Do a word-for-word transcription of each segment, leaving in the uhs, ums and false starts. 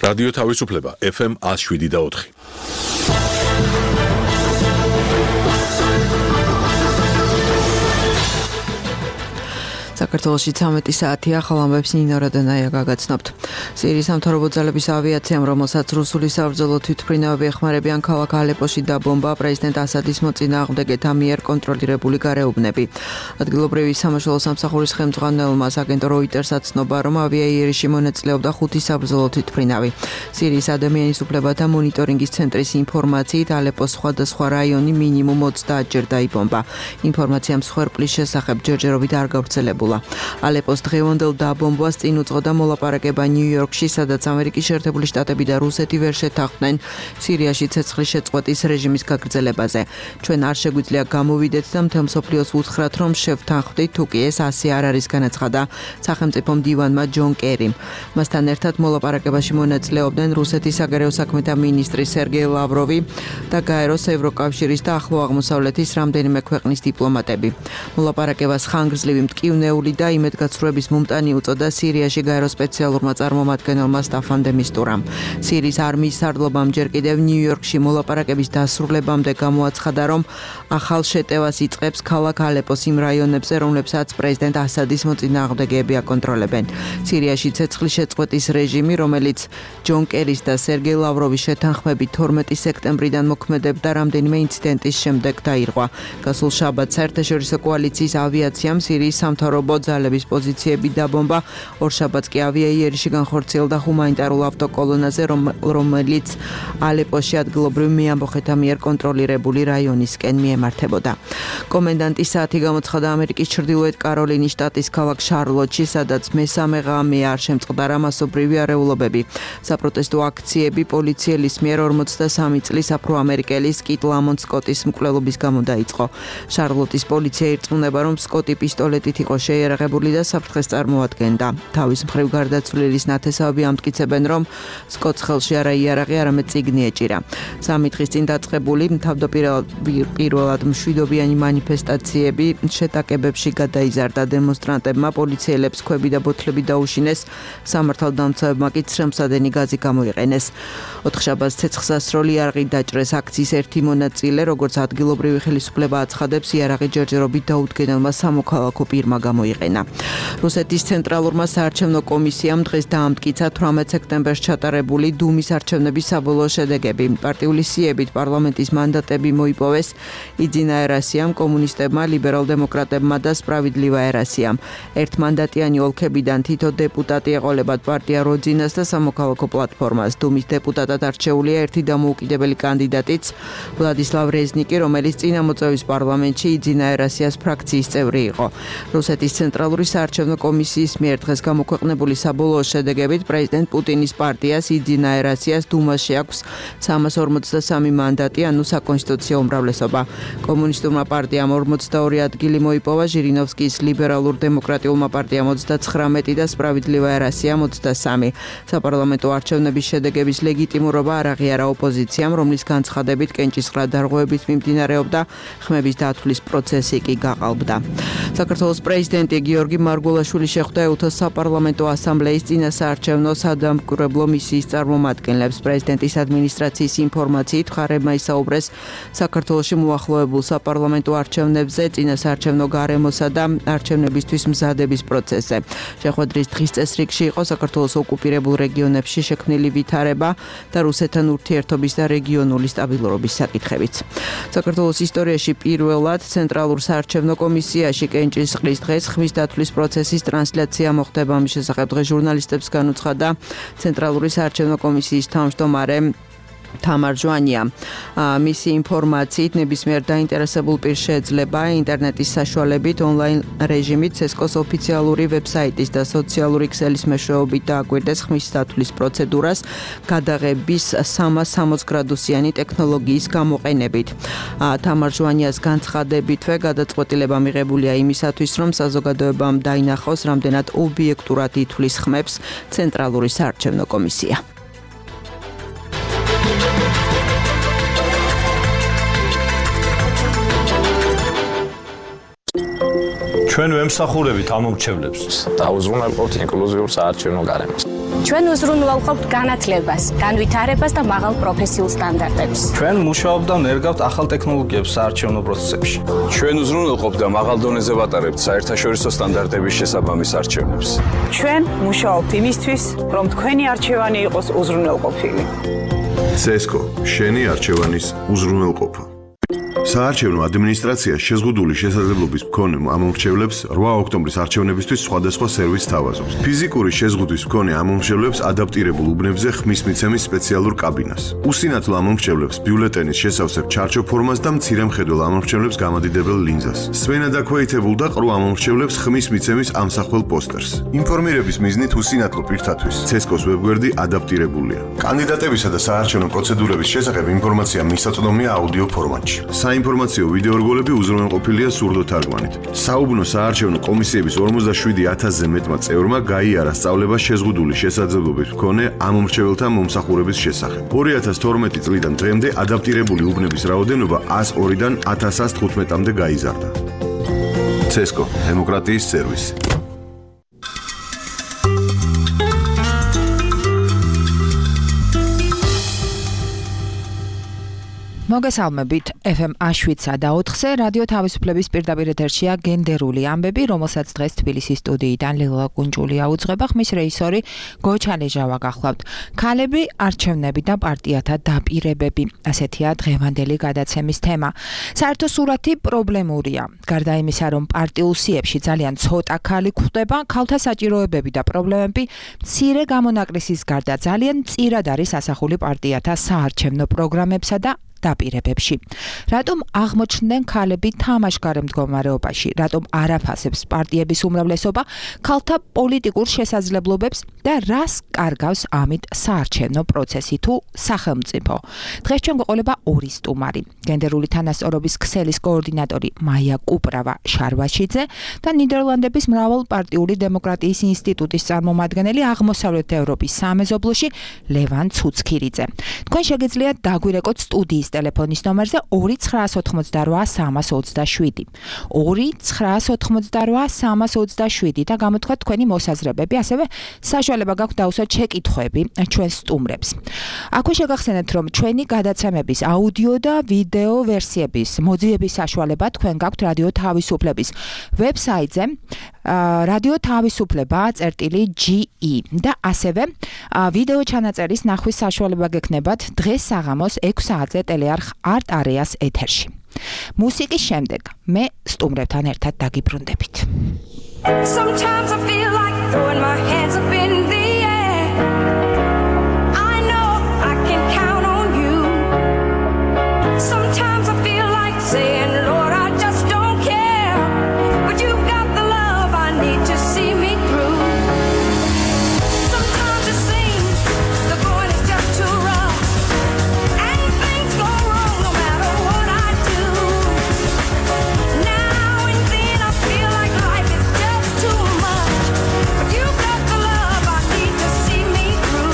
რადიო თავისუფლება ეფ ემ one oh seven და four. საქართველოში ცამეტი საათია, ახალ ამბებს ნინო რადანაია გაგაცნობთ. სირიის სამთავრობო ძალების ავიაციამ, რომელსაც რუსული საბრძოლო თვითმფრინავები ეხმარებიან ქალაქ ალეპოში დაბომბა პრეზიდენტ ასადის მოწინააღმდეგეთა მიერ კონტროლირებული გარეუბნები. ადგილობრივი სამაშველო სამსახურის ხელმძღვანელმა აგენტო როიტერსს აცნობა, რომ ავიაიერში მონაწილეობდა ხუთი საბრძოლო თვითმფრინავი. სირიის ადამიანის უფლებათა მონიტორინგის ცენტრის ინფორმაციით, ალეპოს სხვადასხვა რაიონი მინიმუმ ოცდაათ ჯერ დაიბომბა. ინფორმაცია მსხვერპლის შესახებ ჯერჯერობით არ გავრცელებულა. ალეპოს დღევანდელ დაბომბვას წინ უძღოდა მოლაპარაკება ნიუ-იორკში, სადაც ამერიკის შეერთებული შტატები და რუსეთი ვერ შეთანხმდნენ სირიაში ცეცხლის შეწყვეტის რეჟიმის გაგრძელებაზე. ჩვენ არ შეგვიძლია გამოვიდეთ და მთელ მსოფლიოს უთხრათ, რომ შევთანხმდით, თუ კი ეს ასე არ არის, განაცხადა სახელმწიფო მდივანმა ჯონ კერიმ. მასთან ერთად მოლაპარაკებაში მონაწილეობდნენ რუსეთის საგარეო საქმეთა მინისტრი სერგეი ლავროვი და გაეროს, ევროკავშირის და ახლო აღმოსავლეთის რამდენიმე ქვეყნის დიპლომატები. მოლაპარაკებას ხანგრძლივი მტკივნეული და იმედგაცრუების მომტანი უწოდა სირიაში გაერო სპეციალურმა წარმომადგენელმა სტაფან დე მისტურამ. სირიის არმიის სარდლობამ ჯერ კიდევ ნიუ-იორკში მოლაპარაკების დასრულებამდე გამოაცხადა, რომ ახალ შეტევას იწყებს ქალაქ ალეპოს იმ რაიონებზე, რომლებსაც პრეზიდენტ ასადის მოწინააღმდეგეები აკონტროლებენ. სირიაში ცეცხლის შეწყვეტის რეჟიმი, რომელიც ჯონ კერის და სერგეი ლავროვის შეთანხმებით თორმეტი სექტემბრიდან მოქმედებდა, რამდენიმე ინციდენტის შემდეგ დაირღვა. გასულ შაბათს საერთაშორისო კოალიციის ავიაციამ სირიის სამთავრობო ძალების პოზიციები დაბომბა. ორშაბათს კი ავიაიერში განხორციელდა ჰუმანიტარულ ავტოკოლონაზე, რომელიც ალეპოში ადგილობრივ მეამბოხეთა მიერ კონტროლირებული რაიონისკენ მიემართებოდა. კომენდანტის საათი გამოცხადა ამერიკის ჩრდილოეთ კაროლინის შტატის ქალაქ შარლოტში, სადაც მესამე ღამე არ შემწყდა მასობრივი არეულობები. საპროტესტო აქციები პოლიციელის მიერ ორმოცდასამი წლის აფრო-ამერიკელის კიტ ლამონტ სკოტის მკვლელობის გამო დაიწყო. შარლოტის პოლიცია ირწმუნება, რომ სკოტი პისტოლეტით იყო შეიარაღებული და საფრთხეს წარმოადგენდა. თავის მხრივ გარდაცვლილის ნათესავები ამტკიცებენ, რომ სკოტს ხელში არა იარაღი, არამედ წიგნი ეჭირა. სამი დღის წინ დაწყებული თავდაპირველად მშვიდობიანი მანიფესტაციები შეტაკებებში გადაიზარდა. დემონსტრანტებმა პოლიციელებს ქვები და ბოთლები დაუშინეს, სამართალდამცავებმა კი ცრემლსადენი გაზი გამოიყენეს. ოთხშაბათს ცეცხლსასროლი იარაღით დაჭრეს. აქციის ერთი მონაწილე, როგორც ადგილობრივი ხელისუფლება აცხადებს, იარაღი ჯერჯერობით დაუდგენელმა სამოქალაქო პირმა გამოიყენა. რუსეთის ცენტრალურმა საარჩევნო კომისიამ დღეს დაამტკიცა თვრამეტ სექტემბერს ჩატარებული დუმის არჩევნების საბოლოო შედეგები. პარტიული სიებით პარლამენტის მანდატები მოიპოვეს იძინა ერასიამ, კომუნისტებმა, ლიბერალ-დემოკრატებმა და სპრავიდლივა ერასიამ. ერთმანდატიანი ოლქებიდან თითო დეპუტატი ეყოლებათ პარტია როძინას და სამოქალაქო პლატფორმას. დუმის დეპუტატად არჩეულია ერთი დამოუკიდებელი კანდიდატიც, ვლადისლავ რეზნიკი, რომელიც წინა მოწვევის პარლამენტში იძინა ერასიას ფრაქციის წევრი იყო. რუსეთის ცენტრალური საარჩევნო კომისიის მიერ დღეს გამოქვეყნებული საბოლოო შედეგებით პრეზიდენტ პუტინის პარტიას იძინა ერასიას დუმაში აქვს სამას ორმოცდასამი მანდატი, ანუ საკონსტიტუციო უმრავლესობა. კომუნისტურმა პარტიამ ორმოცდაორი ადგილი მოიპოვა, ჟირინოვსკის ლიბერალურ-დემოკრატიულმა პარტიამ ოცდაცხრამეტი და სპრავიდლივა ერასიამ ოცდასამი. საპარლამენტო არჩევნების შედეგების ლეგიტიმურობა არ აღიარა ოპოზიციამ, რომლის განცხადებით კენჭისყრა დარღვევებით მიმდინარეობდა, ხმების დათვლის პროცესი კი გაყალბდა. საქართველოს პრეზიდენტი გიორგი მარგულაშვილი შეხვდა ეუთოს საპარლამენტო ასამბლეის წინასაარჩევნო სადამკვირვებლო მისიის წარმომადგენლებს. პრეზიდენტის ადმინისტრაციის ინფორმაციით, მხარეებმა ისაუბრეს საქართველოში მოახლოებულ საპარლამენტო არჩევნებზე, წინასაარჩევნო გარემოსა და არჩევნებისთვის მზადების პროცესზე. შეხვედრის დღის წესრიგში იყო საქართველოს ოკუპირებულ რეგიონებში შექმნილი ვითარება და რუსეთთან ურთიერთობის და რეგიონული სტაბილურობის საკითხებიც. საქართველოს ისტორიაში პირველად ცენტრალურ საარჩევნო კომისიაში კენჭისყრის დღეს ხმის დათვლის პროცესის ტრანსლაცია მოხდება. ამის შესახებ დღეს ჟურნალისტებს განუცხადა ცენტრალური საარჩევნო კომისიის თავმჯდომარე თამარ ჟვანია. მისი ინფორმაციით, ნებისმიერ დაინტერესებულ პირს შეეძლება ინტერნეტის საშუალებით ონლაინ რეჟიმით ცესკოს ოფიციალური ვებსაიტის და სოციალური ქსელის მეშვეობით დააკვირდეს ხმის დათვლის პროცედურას გადაღების სამას სამოცდ გრადუსიანი ტექნოლოგიის გამოყენებით. თამარ ჟვანიას განცხადებითვე გადაწყვეტილება მიღებულია იმისათვის, რომ საზოგადოებამ დაინახოს, რამდენად ობიექტურად ითვლის ხმებს ცენტრალური საარჩევნო კომისია. ჩვენ ვემსახურებით ამ მომრჩევლებს. დაუზრუნველყოთ ინკლუზიურ საარჩევნო გარემოს. ჩვენ უზრუნველყოფთ განათლებას, განვითარებას და მაღალ პროფესიულ სტანდარტებს. ჩვენ მუშაობთ და ნერგავთ ახალ ტექნოლოგიებს საარჩევნო პროცესებში. ჩვენ უზრუნველყოფთ და მაღალ დონეზე ვატარებთ საერთაშორისო სტანდარტების შესაბამის არჩევნებს. ჩვენ მუშაობთ იმისთვის, რომ თქვენი არჩევანი იყოს უზრუნველყოფილი. ცესკო, შენი არჩევანის უზრუნველყოფა. საარჩევნო ადმინისტრაცია შეზღუდული შესაძლებლობის მქონე ამომრჩევლებს რვა ოქტომბრის არჩევნებისთვის სხვადასხვა სერვისს თავაზობს. ფიზიკური შეზღუდვის მქონე ამომრჩევლებს ადაპტირებულ უბნებზე ხმის მიცემის სპეციალურ კაბინას. უსინათლო ამომრჩევლებს ბიულეტენის შესავსებ ჩარჩო ფორმას და მცირე მხედველ ამომრჩევლებს გამადიდებელ ლინზას. სვენა დაქვეითებულ და ყრუ ამომრჩევლებს ხმის მიცემის ამსახველ პოსტერს. ინფორმირების მიზნით უსინათლო პირთათვის ცესკოს ვებგვერდი ადაპტირებულია. კანდიდატებისა და საარჩევნო პროცედურების შესახებ ინფორმაცია მისაწვდომია აუდიო ფორმატში. საინფორმაციო ვიდეორგოლები უზრუნველყოფილია სურდო თარგმანით. საუბნო საარჩევნო კომისიების ორმოცდაშვიდი ათასზე მეტმა წევრმა გაიარა სწავლება შეზღუდული შესაძლებლობის მქონე ამომრჩეველთა მომსახურების შესახებ. ორი ათას თორმეტი წლიდან დღემდე ადაპტირებული უბნების რაოდენობა ათას ორიდან ათას თხუთმეტამდე გაიზარდა. ცესკო, დემოკრატიის სერვისი. მოგესალმებით. ეფ ემ შვიდსა და ოთხზე რადიო თავისუფლების პირდაპირ ეთერშია გენდერული ამბები, რომელსაც დღეს თბილისის სტუდიიდან ლილვა კუნჯულია უძღვება, ხმის რეჟისორი გოჩალეჟავა გახლავთ. ქალები, არჩევნები და პარტიათა დაპირებები. ასეთია დღევანდელი გადაცემის თემა. საერთო სურათი პრობლემურია. გარდა იმისა, რომ პარტიულ სიებში ძალიან ცოტა ქალი გვხვდება, ქალთა საჭიროებები და პრობლემები მცირე გამონაკლისის გარდა ძალიან მწირად არის ასახული პარტიათა საარჩევნო პროგრამებსა და დაპირებებში. რატომ აღმოჩნდნენ ქალები თამაშგარე მდგომარეობაში? რატომ არ აფასებს პარტიების უმრავლესობა ქალთა პოლიტიკურ შესაძლებლობებს და რას კარგავს ამით საარჩევნო პროცესი თუ სახელმწიფო? დღეს ჩვენ გვეყოლება ორი სტუმარი. გენდერული თანასწორობის ქსელის კოორდინატორი მაია კუპრავა შარვაშიძე და ნიდერლანდების მრავალპარტიული დემოკრატიის ინსტიტუტის წარმომადგენელი აღმოსავლეთ ევროპის სამეზობლოში ლევან ცუცქირიძე. თქვენ შეგიძლიათ დაგვირეკოთ სტუდიის ტელეფონის ნომერზე ორი ცხრაას ოთხმოცდარვა სამას ოცდაშვიდი. ორი ცხრაას ოთხმოცდარვა სამას ოცდაშვიდი და გამოთქვათ თქვენი მოსაზრებები, ასევე საშუალება გაქვთ დაუსვათ შეკითხვები ჩვენს სტუმრებს. აქვე შეგახსენებთ, რომ ჩვენი გადაცემების აუდიო და ვიდეო ვერსიების მოძიების საშუალება თქვენ გაქვთ რადიო თავისუფლების ვებსაიტზე რადიო თავისუფლება წერტილი ჯი ი და ასევე ვიდეო ჩანაწერის ნახვის საშუალება გექნებათ დღეს საღამოს ექვს საათზე ტელეარხ არტ არეას ეთერში. მუსიკის შემდეგ მე სტუმრებთან ერთად დაგიბრუნდებით. Sometimes I feel like throwing my hands up in the air. I know I can count on you. Sometimes I feel like saying, Lord, I just don't care. But you've got the love I need to see me through. Sometimes it seems the going is just too rough. And things go wrong no matter what I do. Now and then I feel like life is just too much. But you've got the love I need to see me through.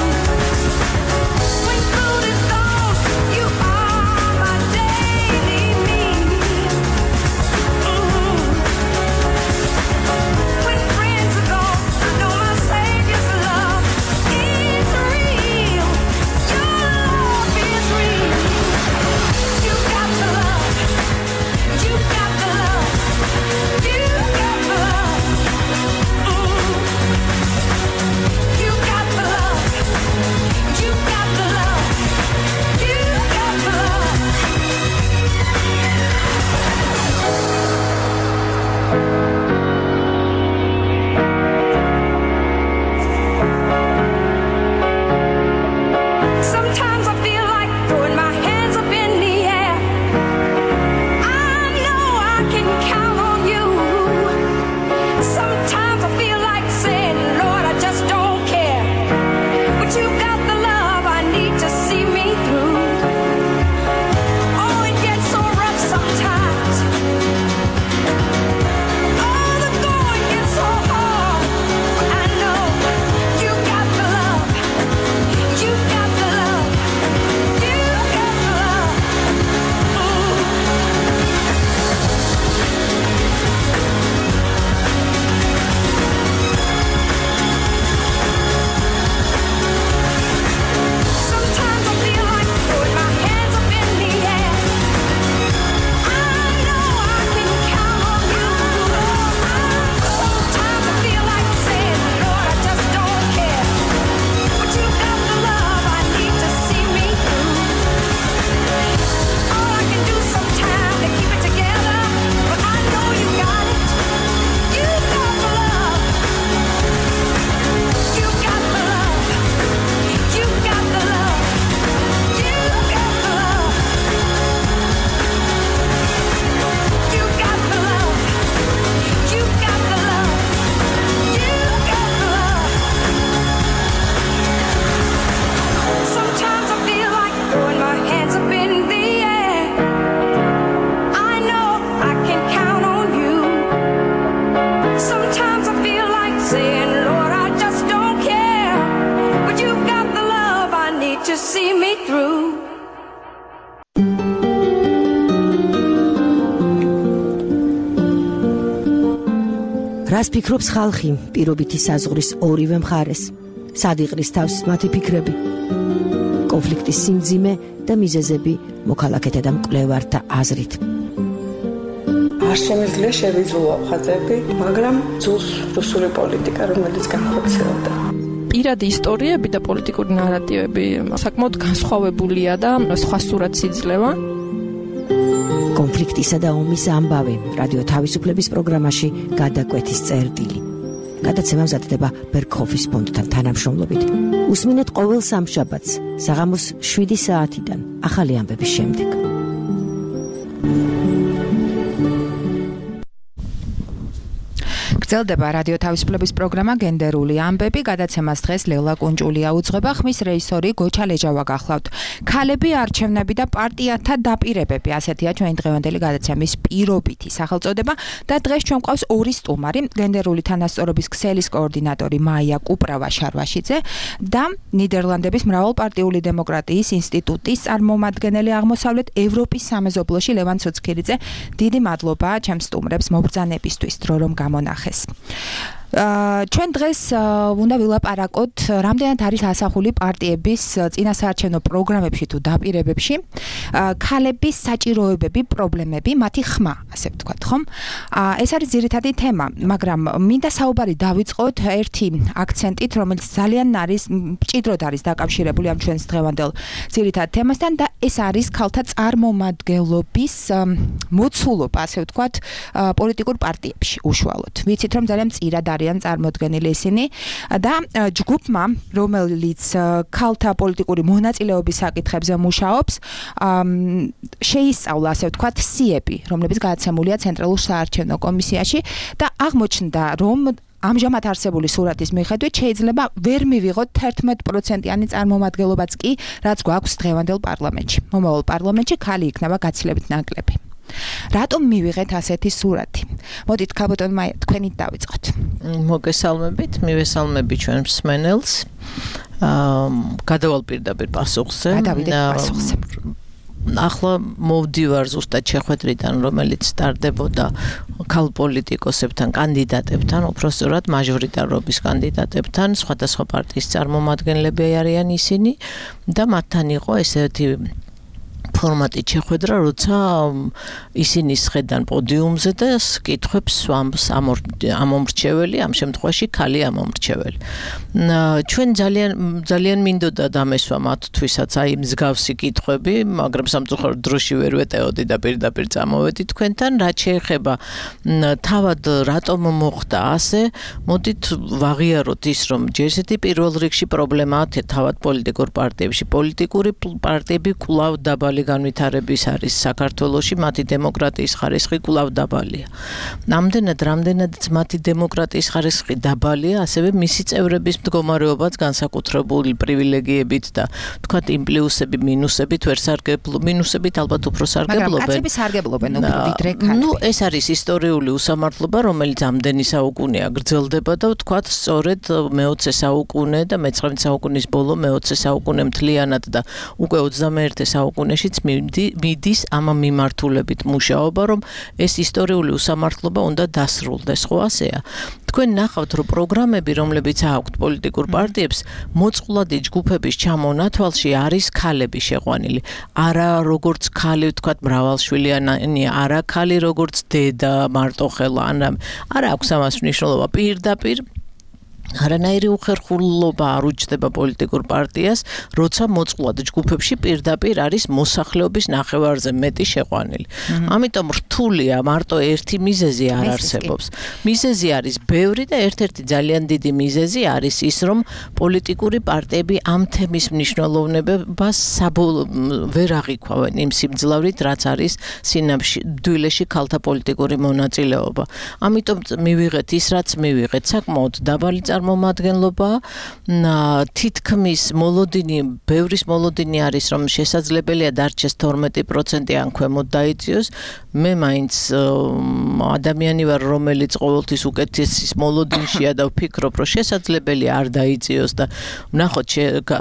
რას ფიქრობს ხალხი პირობითი საზღვრის ორივე მხარეს? სად იყრის თავს მათი ფიქრები? კონფლიქტის სიმძიმე და მიზეზები მოქალაქეთა და მკვლევართა აზრით. არ შემიძლია შევიძულო ხაზები, მაგრამ ძულს რუსული პოლიტიკა, რომელიც განხორციელდა. პირადი ისტორიები და პოლიტიკური ნარატივები საკმაოდ განსხვავებულია და სხვა სურათს იძლევა. კონფლიქტისა და ომის ამბავი რადიო თავისუფლების პროგრამაში გადაკვეთის წერტილი. გადაცემა მზადდება ბერქოფის ფონდთან თანამშრომლობით. უსმინეთ ყოველ სამშაბათს საღამოს შვიდი საათიდან ახალი ამბების შემდეგ. გრძელდება რადიო თავისუფლების პროგრამა გენდერული ამბები, გადაცემას დღეს ლელა კუნჭულია უძღვება, ხმის რეჟისორი გოჩა ლეჯავა გახლავთ. ქალები, არჩევნები და პარტიათა დაპირებები, ასეთია ჩვენი დღევანდელი გადაცემის პირობითი სახელწოდება და დღეს ჩვენ გვყავს ორი სტუმარი, გენდერული თანასწორობის ქსელის კოორდინატორი მაია კუპრავა-შარვაშიძე და ნიდერლანდების მრავალპარტიული დემოკრატიის ინსტიტუტის წარმომადგენელი აღმოსავლეთ ევროპის სამეზობლოში ლევან ცუცქირიძე. დიდი მადლობა ჩემს სტუმრებს მობრძანებისთვის, დრო რომ გამონახეს. ჩვენ დღეს უნდა ვილაპარაკოთ, რამდენად არის ასახული პარტიების წინასაარჩევნო პროგრამებში თუ დაპირებებში ქალების საჭიროებები, პრობლემები, მათი ხმა, ასე ვთქვათ, ხომ? ეს არის ძირითადი თემა, მაგრამ მინდა საუბარი დავიწყოთ ერთი აქცენტით, რომელიც ძალიან არის მჭიდროდ არის დაკავშირებული ამ ჩვენს დღევანდელ ძირითად თემასთან და ეს არის ქალთა წარმომადგენლობის მოცულობა, ასე ვთქვათ, პოლიტიკურ პარტიებში უშუალოდ. ვიცით, რომ ძალიან მწირად არიან წარმოდგენილი ისინი და ჯგუფმა, რომელიც ქალთა პოლიტიკური მონაწილეობის საკითხებზე მუშაობს, შეისწავლა, ასე ვთქვათ, სიები, რომლებიც გადაცემულია ცენტრალურ საარჩევნო კომისიაში და აღმოჩნდა, რომ ამჟამად არსებული სურათის მიხედვით შეიძლება ვერ მივიღოთ თერთმეტ პროცენტიანი წარმომადგენლობაც კი, რაც გვაქვს დღევანდელ პარლამენტში. მომავალ პარლამენტში ქალი იქნება გაცილებით ნაკლები. რატომ მივიღეთ ასეთი სურათი? მოდით, ქალბატონ მაია, თქვენით დავიწყოთ. მოგესალმებით, მივესალმები ჩვენ მსმენელს. გადავალ პირდაპირ პასუხზე. გადავიდეთ პასუხზე. ახლა მოვდივარ ზუსტად შეხვედრიდან, რომელიც სტარდებოდა ქალ პოლიტიკოსებთან, კანდიდატებთან, უпростоრად მაჟორიტარობის კანდიდატებთან, სხვადასხვა პარტიის წარმომადგენლები არიან ისინი და მათთან იყო ესეთი ფორმატით შეხვედრა, როცა ისინი სხედან პოდიუმზე და კითხვებს სვამს ამომრჩეველი, ამ შემთხვევაში ქალი ამომრჩეველი. ჩვენ ძალიან ძალიან მინდოდა დამესვა მათთვისაც აი მსგავსი კითხვები, მაგრამ სამწუხაროდ დროში ვერ ვეტეოდი და პირდაპირ წამოვედი თქვენთან. რაც შეეხება თავად რატომ მოხდა ასე, მოდით ვაღიაროთ ის, რომ ჯერ ესეთი პირველ რიგში პრობლემაა თავად პოლიტიკურ პარტიებში. პოლიტიკური პარტიები კვლავ დაბალი განვითარების არის საქართველოში, მათი დემოკრატიის ხარისხი კვლავ დაბალია. Ამდენად, რამდენადაც მათი დემოკრატიის ხარისხი დაბალია, ასევე მისი წევრების მდგომარეობაც განსაკუთრებული პრივილეგიებით და თქვათ იმ პლუსები, მინუსებით ვერ სარგებლობენ, მინუსებით ალბათ უფრო სარგებლობენ. მაგრამ კაცები სარგებლობენ უფრო ვიდრე ქალები. ნუ ეს არის ისტორიული უსამართლობა, რომელიც ამდენი საუკუნეა გრძელდება და თქვათ სწორედ მეოცე საუკუნე და მეცხრამეტე საუკუნის ბოლო მეოცე საუკუნე მთლიანად და უკვე ოცდამეერთე საუკუნეშიც მიდის ამ მიმართულებით მუშაობა, რომ ეს ისტორიული უსამართლობა უნდა დასრულდეს, ხო ასეა? თქვენ ნახავთ, რომ პროგრამები, რომლებიც აქვთ პოლიტიკურ პარტიებს, მოწყვლადი ჯგუფების ჩამონათვალში არის ქალები შეყვანილი. არა როგორც ქალი, ვთქვათ, მრავალშვილიანი, არა ქალი როგორც დედა, მარტოხელა, არა აქვს ამას მნიშვნელობა პირდაპირ. არანაირი უხერხულობა არ უჩნდება პოლიტიკურ პარტიას, როცა მოწყვლად ჯგუფებში პირდაპირ არის მოსახლეობის ნახევარზე მეტი შეყვანილი. ამიტომ რთულია, მარტო ერთი მიზეზი არ არსებობს. მიზეზი არის ბევრი და ერთ-ერთი ძალიან დიდი მიზეზი არის ის, რომ პოლიტიკური პარტიები ამ თემის მნიშვნელოვნებას ვერ აღიქვავენ იმ სიმძლავრით, რაც არის სინამდვილეში დვილეში ქალთა პოლიტიკური მონაწილეობა. ამიტომ მივიღეთ ის, რაც მივიღეთ, საკმაოდ დაბალი წარმომადგენლობა, თითქმის მოლოდინი, ბევრის მოლოდინი არის, რომ შესაძლებელია დარჩეს თორმეტი პროცენტი ან ქვემოთ დაიწიოს. მე მაინც ადამიანი ვარ, რომელიც ყოველთვის უკეთესის მოლოდინშია და ვფიქრობ, რომ შესაძლებელი არ დაიწიოს და ვნახოთ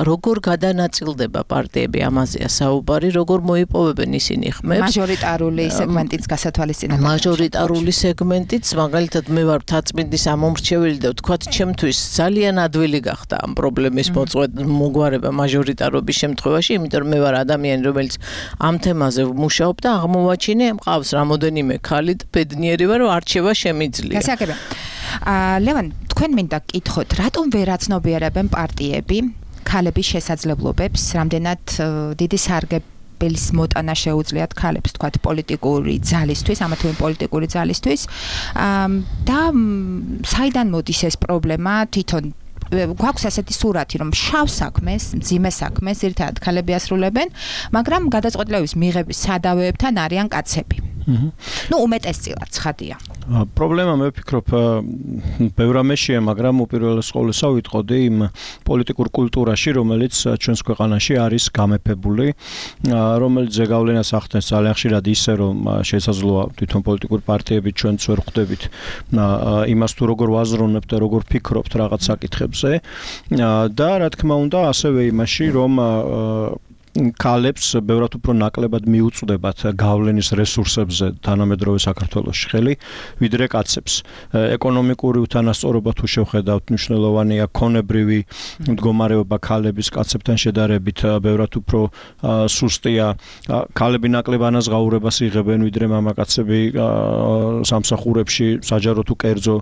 როგორ გადანაწილდება პარტიები, ამაზეა საუბარი, როგორ მოიპოვებენ ისინი ხმებს. მაჟორიტარული სეგმენტიც გასათვალისწინებელია. მაჟორიტარული სეგმენტიც, მაგალითად მე ვარ მთაწმინდის ამომრჩეველი და ვთქვათ, ჩემთვის ძალიან ადვილი გახდა ამ პრობლემის მოგვარება მაჟორიტარობის შემთხვევაში, იმიტომ რომ მე ვარ ადამიანი, რომელიც ამ თემაზე მუშაობ და აღმოვაჩინე, მყავს რამოდენიმე ქალი და ბედნიერი ვარ, რომ არჩევა შემიძლია. გასაგებია. აა ლევან, თქვენ მინდა გკითხოთ, რატომ ვერ აცნობიერებენ პარტიები ქალების შესაძლებლობებს, რამდენად დიდი სარგებლის მოტანა შეუძლიათ ქალებს, თქვათ, პოლიტიკური ძალისთვის, ამა თუ იმ პოლიტიკური ძალისთვის. და საიდან მოდის ეს პრობლემა თვითონ გვაქვს ასეთი სურათი, რომ შავ საქმეს, მძიმე საქმეს ერთად ქალები ასრულებენ, მაგრამ გადაწყვეტილების მიღების სადავეებთან არიან კაცები. ნუ უმეტესწილად ცხადია. პრობლემა მე ვფიქრობ ბევრ ამაშია, მაგრამ უპირველეს ყოვლისა ვიტყოდი იმ პოლიტიკურ კულტურაში, რომელიც ჩვენს ქვეყანაში არის გამეფებული, რომელიც ზეგავლენას ახდენს ძალიან ხშირად ისე, რომ შესაძლოა თვითონ პოლიტიკური პარტიები ჩვენც ვერ ხვდებით იმას თუ როგორ ვაზროვნებთ და როგორ ფიქრობთ რაღაც საკითხებზე და რა თქმა უნდა ასევე იმაში, რომ ქალებს ბევრად უფრო ნაკლებად მიუწვდებათ გავლენის რესურსებზე თანამედროვე საქართველოში ხელი, ვიდრე კაცებს. ეკონომიკური უთანასწორობა თუ შევხედავთ, მნიშვნელოვანია ქონებრივი მდგომარეობა ქალების კაცებთან შედარებით ბევრად უფრო სუსტია. ქალები ნაკლებ ანაზღაურებას იღებენ, ვიდრე მამაკაცები სამსახურებში, საჯარო თუ კერძო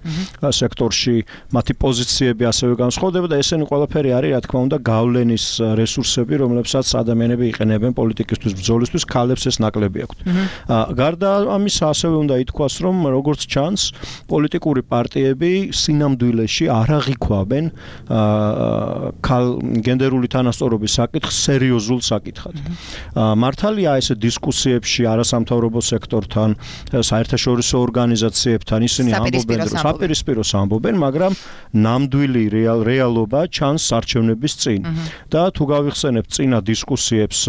სექტორში, მათი პოზიციები ასევე განსხვავდება და ესენი ყველაფერი არის, რა თქმა უნდა, გავლენის რესურსები, რომლებსაც ადამიანები იყენებენ პოლიტიკისთვის ბრძოლისთვის, ქალებს ეს ნაკლები აქვთ. გარდა ამისა, ასევე უნდა ითქვას, რომ როგორც ჩანს, პოლიტიკური პარტიები სინამდვილეში არ აღიქვამენ გენდერული თანასწორობის საკითხს სერიოზულ საკითხად. მართალია ეს დისკუსიებში არასამთავრობო სექტორთან, საერთაშორისო ორგანიზაციებთან ისინი ამბობენ, რომ საპირისპიროს ამბობენ, მაგრამ ნამდვილი რეალობა ჩანს არჩევნების წინ. და თუ გავიხსენებთ წინა დისკუსიებს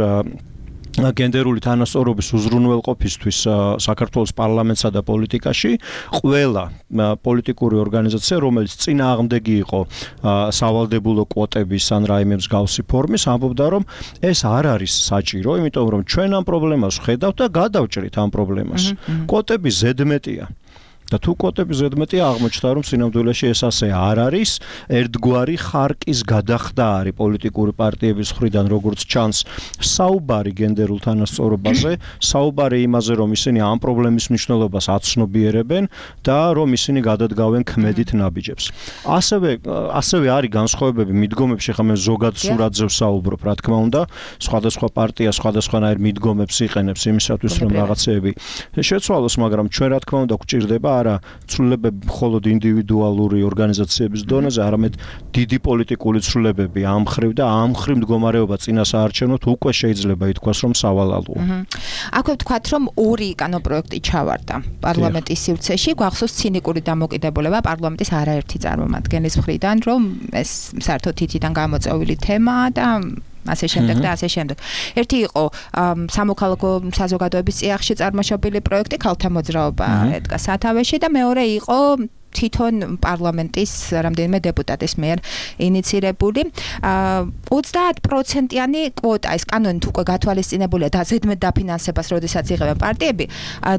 გენდერული თანასწორობის უზრუნველყოფისთვის საქართველოს პარლამენტსა და პოლიტიკაში, ყველა პოლიტიკური ორგანიზაცია, რომელიც წინააღმდეგი იყო სავალდებულო კვოტების ან რაიმე მსგავსი ფორმის, ამბობდა, რომ ეს არ არის საჭირო, იმიტომ რომ ჩვენ ამ პრობლემას ვხედავთ და გადავჭრით ამ პრობლემას. კვოტები ზედმეტია. და თუ კვოტები ზედმეტია, აღმოჩნდა, რომ სინამდვილეში ეს ასე არ არის, ერთგვარი ხარკის გადახდა არის პოლიტიკური პარტიების მხრიდან, როგორც ჩანს, საუბარი გენდერულ თანასწორობაზე, საუბარი იმაზე, რომ ისინი ამ პრობლემის მნიშვნელობას აცნობიერებენ და რომ ისინი გადადგავენ ქმედით ნაბიჯებს. ასევე ასევე არის განსხვავებები მიდგომებში, ხა მე ზოგად სურათზე ვსაუბრობ, რა თქმა უნდა, სხვადასხვა პარტია სხვადასხვანაირ მიდგომებს იყენებს იმისათვის, რომ რაღაცეები შეცვალოს, მაგრამ ჩვენ რა თქმა უნდა გვჭირდება არა ცვლილებები მხოლოდ ინდივიდუალური ორგანიზაციების დონეზე, არამედ დიდი პოლიტიკური ცვლილებები ამ მხრივ და ამ მხრივ მდგომარეობა წინასაარჩევნოდ უკვე შეიძლება ითქვას, რომ სავალალოა. აქვე ვთქვათ, რომ ორი კანონპროექტი ჩავარდა პარლამენტის სივრცეში, გვახსოვს ცინიკური დამოკიდებულება პარლამენტის არაერთი წარმომადგენლის მხრიდან, რომ ეს საერთოდ თითიდან გამოწვეული თემაა და ასე შემდეგ და ასე შემდეგ. ერთი იყო სამოქალაქო საზოგადოების წიაღში წარმოშობილი პროექტი ქალთა მოძრაობა ედგა სათავეში და მეორე იყო თვითონ პარლამენტის რამდენიმე დეპუტატის მიერ ინიცირებული ოცდაათ პროცენტიანი კვოტა, ეს კანონით უკვე გათვალისწინებულია და ზედმეტ დაფინანსებას როდესაც იღებენ პარტიები,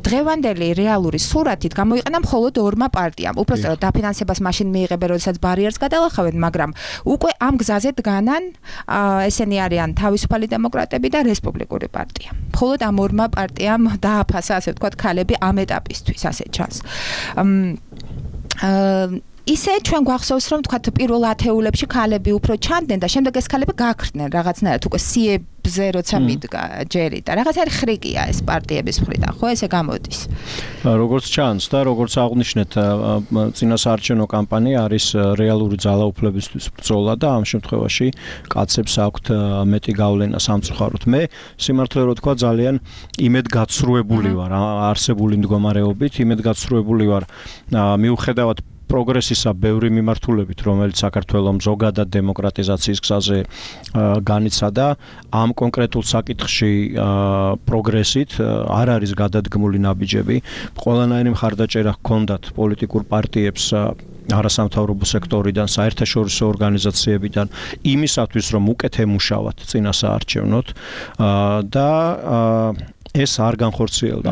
დღევანდელი რეალური სურათით გამოიყენა მხოლოდ ორმა პარტიამ. უпростоროდ დაფინანსებას მაშინ მიიღებენ, როდესაც ბარიერს გადალახავენ, მაგრამ უკვე ამ გზაზე დგანან ესენი არიან თავისუფალი დემოკრატები და რესპუბლიკური პარტია. მხოლოდ ამ ორმა პარტიამ დააფასა, ასე ვთქვათ, ქალები ამ ეტაპისთვის, ასე ჩანს. ისე ჩვენ გვახსოვს, რომ თქვათ პირველ ათეულებში ქალები უფრო ჩანდნენ და შემდეგ ეს ქალები გაქრდნენ რაღაცნაირად უკვე სიებზე როცა მიდგა ჯერი და რაღაცა ხრიკია ეს პარტიების მხრიდან, ხო ესე გამოდის. როგორც ჩანს და როგორც აღნიშნეთ, წინასაარჩევნო კამპანია არის რეალური ძალაუფლებისთვის ბრძოლა და ამ შემთხვევაში კაცებს აქვთ მეტი გავლენა სამწუხაროდ. მე სიმართლე რო თქვა ძალიან იმედგაცრუებული ვარ არსებული მდგომარეობით, იმედგაცრუებული ვარ მიუხედავად პროგრესისა ბევრი მიმართულებით, რომელიც საქართველოს ზოგადად დემოკრატიზაციის გზაზე განიცადა, ამ კონკრეტულ საკითხში პროგრესით არ არის გადადგმული ნაბიჯები. ყველანაირი მხარდაჭერა ჰქონდათ პოლიტიკურ პარტიებს არასამთავრობო სექტორიდან, საერთაშორისო ორგანიზაციებიდან იმისათვის, რომ უკეთ ემუშავათ წინასაარჩევნოდ და ეს არ განხორციელდა.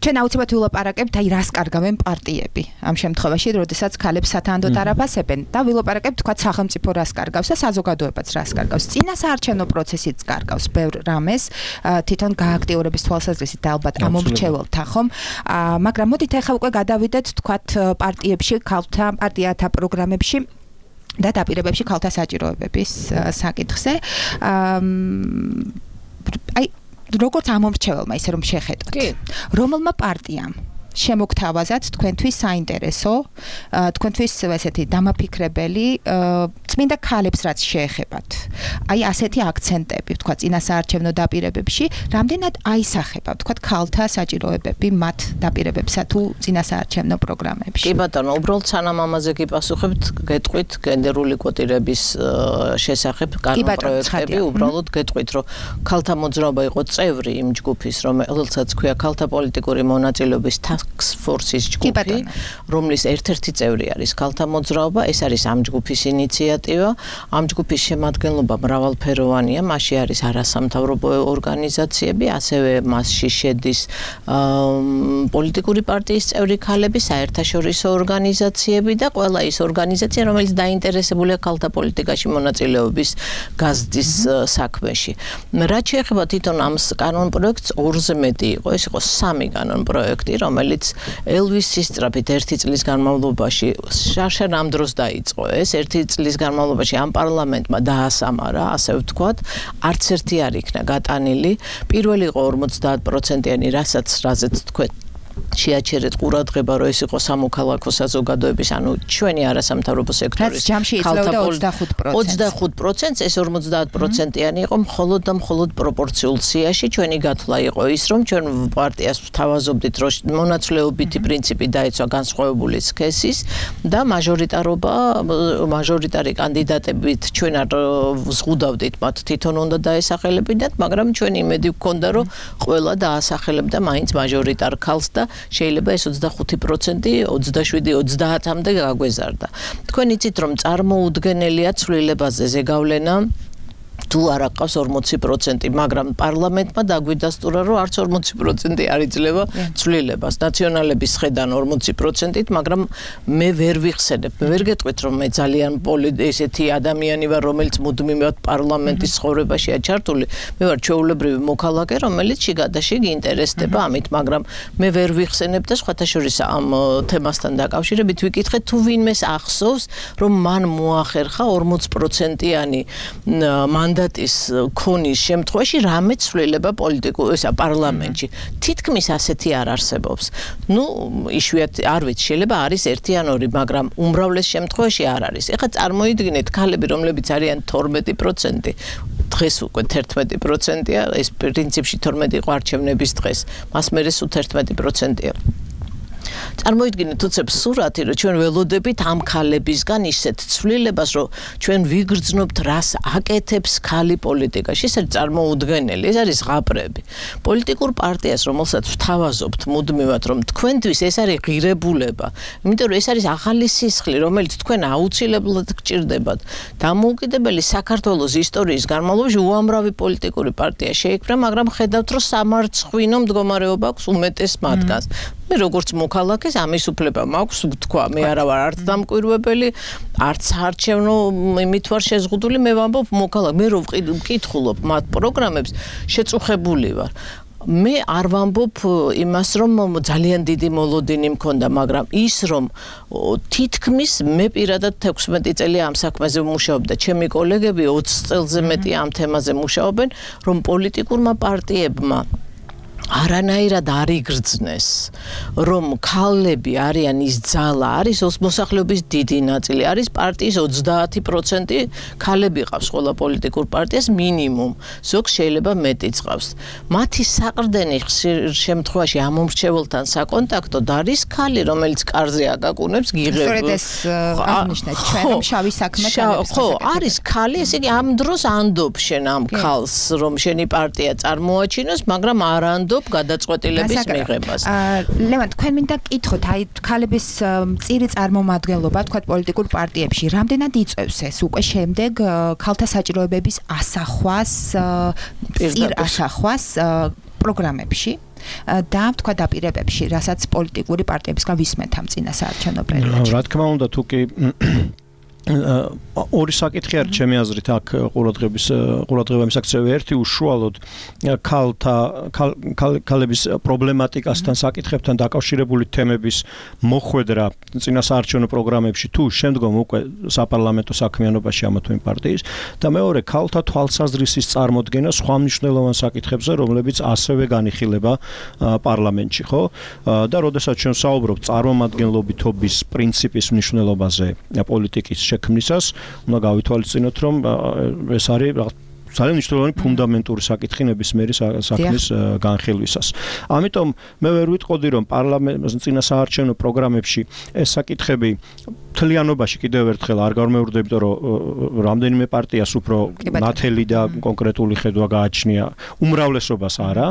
ჩვენ აუცილებლად ვილაპარაკებთ, აი რას კარგავენ პარტიები ამ შემთხვევაში, როდესაც ქალებს სათანადოდ არაფასებენ და ვილაპარაკებთ, თქვა სახელმწიფო რას კარგავს და საზოგადოებაც რას კარგავს. წინასაარჩევნო პროცესიც კარგავს ბევრ რამეს, თვითონ გააქტიურების თვალსაზრისით და ალბათ ამომრჩეველთა ხომ, მაგრამ მოდით ახლა უკვე გადავიდეთ, თქვათ პარტიებში, ქალთა პარტიათა პროგრამებში და დაპირებებში ქალთა საჭიროებების საკითხზე. აი როგორც ამომრჩეველმა ისე რომ შეხედოთ. რომელმა პარტიამ შემოგთავაზათ თქვენთვის საინტერესო, თქვენთვის ესეთი დამაფიქრებელი წმინდა ქალებს რაც შეეხებათ. აი ასეთი აქცენტები, თქვა წინასაარჩევნო დაპირებებში, რამდენად აისახება, თქვა ქალთა საჭიროებები მათ დაპირებებსა თუ წინასაარჩევნო პროგრამებში. კი ბატონო, უბრალოდ სანამ ამაზე გიპასუხებთ, გეტყვით გენდერული კვოტირების შესახებ კანონპროექტები, უბრალოდ გეტყვით, რომ ქალთა მოძრაობა იყო წევრი იმ ჯგუფის, რომელსაც ქვია ქალთა პოლიტიკური მონაწილეობის task force-ის ჯგუფი, რომლის ერთ-ერთი წევრი არის ქალთა მოძრაობა, ეს არის ამ ჯგუფის ინიციატივა. ამ ჯგუფის შემადგენლობა მრავალფეროვანია, მასში არის არასამთავრობო ორგანიზაციები, ასევე მასში შედის პოლიტიკური პარტიის წევრი ქალები, საერთაშორისო ორგანიზაციები და ყველა ის ორგანიზაცია, რომელიც დაინტერესებულია ქალთა პოლიტიკაში მონაწილეობის გაზრდის საქმეში. რაც შეეხება თვითონ ამ კანონპროექტს, ორზე მეტი იყო, ეს იყო სამი კანონპროექტი, რომელიც ელვისის სწრაფით ერთი წლის განმავლობაში შარშან ამ დროს დაიწყო ეს ერთი წლის განმავლობაში ამ პარლამენტმა დაასამარა, ასე ვთქვათ, არც ერთი არ იქნა გატანილი. პირველი იყო ორმოცდაათ პროცენტიანი, რასაც რაზეც თქვენ შეაჩერეთ ყურადღება, რომ ეს იყო სამოქალაქო საზოგადოების, ანუ ჩვენი არასამთავრობო სექტორის ქალთა ოცდახუთ პროცენტს, ეს ორმოცდაათ პროცენტიანი იყო მხოლოდ და მხოლოდ პროპორციულ სიაში. ჩვენი გათვლა იყო ის, რომ ჩვენ პარტიას ვთავაზობდით, რომ მონაცვლეობითი პრინციპი დაეცვა განსხვავებული სქესის და მაჟორიტარობა, მაჟორიტარი კანდიდატებით ჩვენ არ ვზღუდავდით მათ თვითონ უნდა დაესახელებინათ, მაგრამ ჩვენ იმედი გვქონდა, რომ ყველა დაასახელებდა მაინც მაჟორიტარ ქალს და შეიძლება ეს ოცდახუთი პროცენტი ოცდაშვიდი ოცდაათამდე გაგვეზარდა. თქვენ იცით რომ წარმოუდგენელია ცვლილებაზე ზეგავლენა თუ არ აყავს ორმოცი პროცენტი, მაგრამ პარლამენტმა დაგვიდასტურა, რომ არც ორმოცი პროცენტი არ იძლევა ცვლილებას. ნაციონალების ხედან ორმოცი პროცენტით, მაგრამ მე ვერ ვიხსენებ. მე ვერ გეტყვით, რომ მე ძალიან ესეთი ადამიანი ვარ, რომელიც მუდმივად პარლამენტის ცხოვრებაშია ჩართული. მე ვარ ჩვეულებრივი მოქალაქე, რომელიც შიგადაშიგ ინტერესდება ამით, მაგრამ მე ვერ ვიხსენებ და სხვათა შორის ამ თემასთან დაკავშირებით ვიკითხეთ, თუ ვინმეს ახსოვს, რომ მან მოახერხა ორმოც პროცენტიანი მანდატის ქონის შემთხვევაში რამე ცვლილება პოლიტიკურ ესა პარლამენტში. თითქმის ასეთი არ არსებობს. ნუ იშვიათი არ ვიცი, შეიძლება არის ერთი ან ორი, მაგრამ უმრავლეს შემთხვევაში არ არის. ეხლა წარმოიდგინეთ ქალები, რომლებიც არიან თორმეტი პროცენტი. დღეს უკვე თერთმეტი პროცენტია, ეს პრინციპში თორმეტი იყო არჩევნების დღეს. მას მერე სულ თერთმეტი პროცენტია. წარმოიდგინეთ უცებ სურათი, რომ ჩვენ ველოდებით ამ ქალებისგან ისეთ ცვლილებას, რომ ჩვენ ვიგრძნობთ, რას აკეთებს ქალი პოლიტიკაში. ეს არის წარმოუდგენელი, ეს არის ღაბრები. პოლიტიკურ პარტიას, რომელსაც ვთავაზობთ მუდმივად, რომ თქვენთვის ეს არის ღირებულება, იმიტომ რომ ეს არის ახალი სისხლი, რომელიც თქვენ აუცილებლად გჭირდებათ. დამოუკიდებელი საქართველოს ისტორიის განმავლობაში უამრავი პოლიტიკური პარტია შეიქმნა, მაგრამ ხედავთ, რომ სამარცხვინო მდგომარეობა აქვს უმეტეს მათგანს. მე როგორც მოქალაქეს ამის უფლება მაქვს ვთქვა, მე არა ვარ არც დამკვირვებელი, არც არჩევნო იმით ვარ შეზღუდული, მე ვამბობ მოქალაქე, მე რო ვკითხულობ მათ პროგრამებს, შეწუხებული ვარ. მე არ ვამბობ იმას, რომ ძალიან დიდი მოლოდინი მქონდა, მაგრამ ის რომ თითქმის მე პირადად თექვსმეტი წელი ამ საქმეზე ვმუშაობ და ჩემი კოლეგები ოცი წელზე მეტი ამ თემაზე მუშაობენ, რომ პოლიტიკურმა პარტიებმა არანაირად არ იგრძნეს, რომ ქალები არიან ის ძალა, არის მოსახლეობის დიდი ნაწილი, არის პარტიის ოცდაათი პროცენტი ქალები ყავს ყველა პოლიტიკურ პარტიას მინიმუმ, ზოგს შეიძლება მეტიც ყავს. მათი საყრდენი ხშირ შემთხვევაში ამომრჩეველთან საკონტაქტოდ არის ქალი, რომელიც კარზე აკაკუნებს, გიღებს. სწორედ ეს აღნიშნეთ, ჩვენ შავი საქმე ქალებს. ხო, არის ქალი, ესე იგი ამ დროს ანდობ შენ ამ ქალს, რომ შენი პარტია წარმოაჩინოს, მაგრამ არ ანდობ გადაწყვეტილების მიღებას. ლევან, თქვენ მინდა გკითხოთ, აი ქალების მწირი წარმომადგენლობა, თქვა პოლიტიკურ პარტიებში, რამდენად იწევს ეს უკვე შემდეგ ქალთა საჭიროებების ასახვას, მწირ ასახვას პროგრამებში და თქვა დაპირებებში, რასაც პოლიტიკური პარტიებისგან ვისმენთ ამ წინასაარჩევნო პერიოდში. რა თქმა უნდა, თუ კი ორი საკითხი არის ჩემი აზრით აქ ყურადღების ყურადღება მისაქცევი ერთი უშუალოდ ქალთა ქალების პრობლემატიკასთან საკითხებთან დაკავშირებული თემების მოხვედრა წინასაარჩევნო პროგრამებში თუ შემდგომ უკვე საპარლამენტო საქმიანობაში ამა თუ იმ პარტიის და მეორე ქალთა თვალსაზრისის წარმოქმნა სხვა მნიშვნელოვან საკითხებზე რომლებიც ასევე განიხილება პარლამენტში ხო და როდესაც ჩვენ საუბრობთ წარმომადგენლობითობის პრინციპის მნიშვნელობაზე პოლიტიკის შექმნისას უნდა გავითვალისწინოთ რომ ეს არის ძალიან მნიშვნელოვანი ფუნდამენტური საკითხი ნებისმიერი საქმის განხილვისას. ამიტომ მე ვერ ვიტყოდი რომ პარლამენტის წინასაარჩევნო პროგრამებში ეს საკითხები მთლიანობაში კიდევ ერთხელ არ გამეორდება, იმიტომ რომ რამდენიმე პარტიას უფრო ნათელი და კონკრეტული ხედვა გააჩნია, უმრავლესობას არა.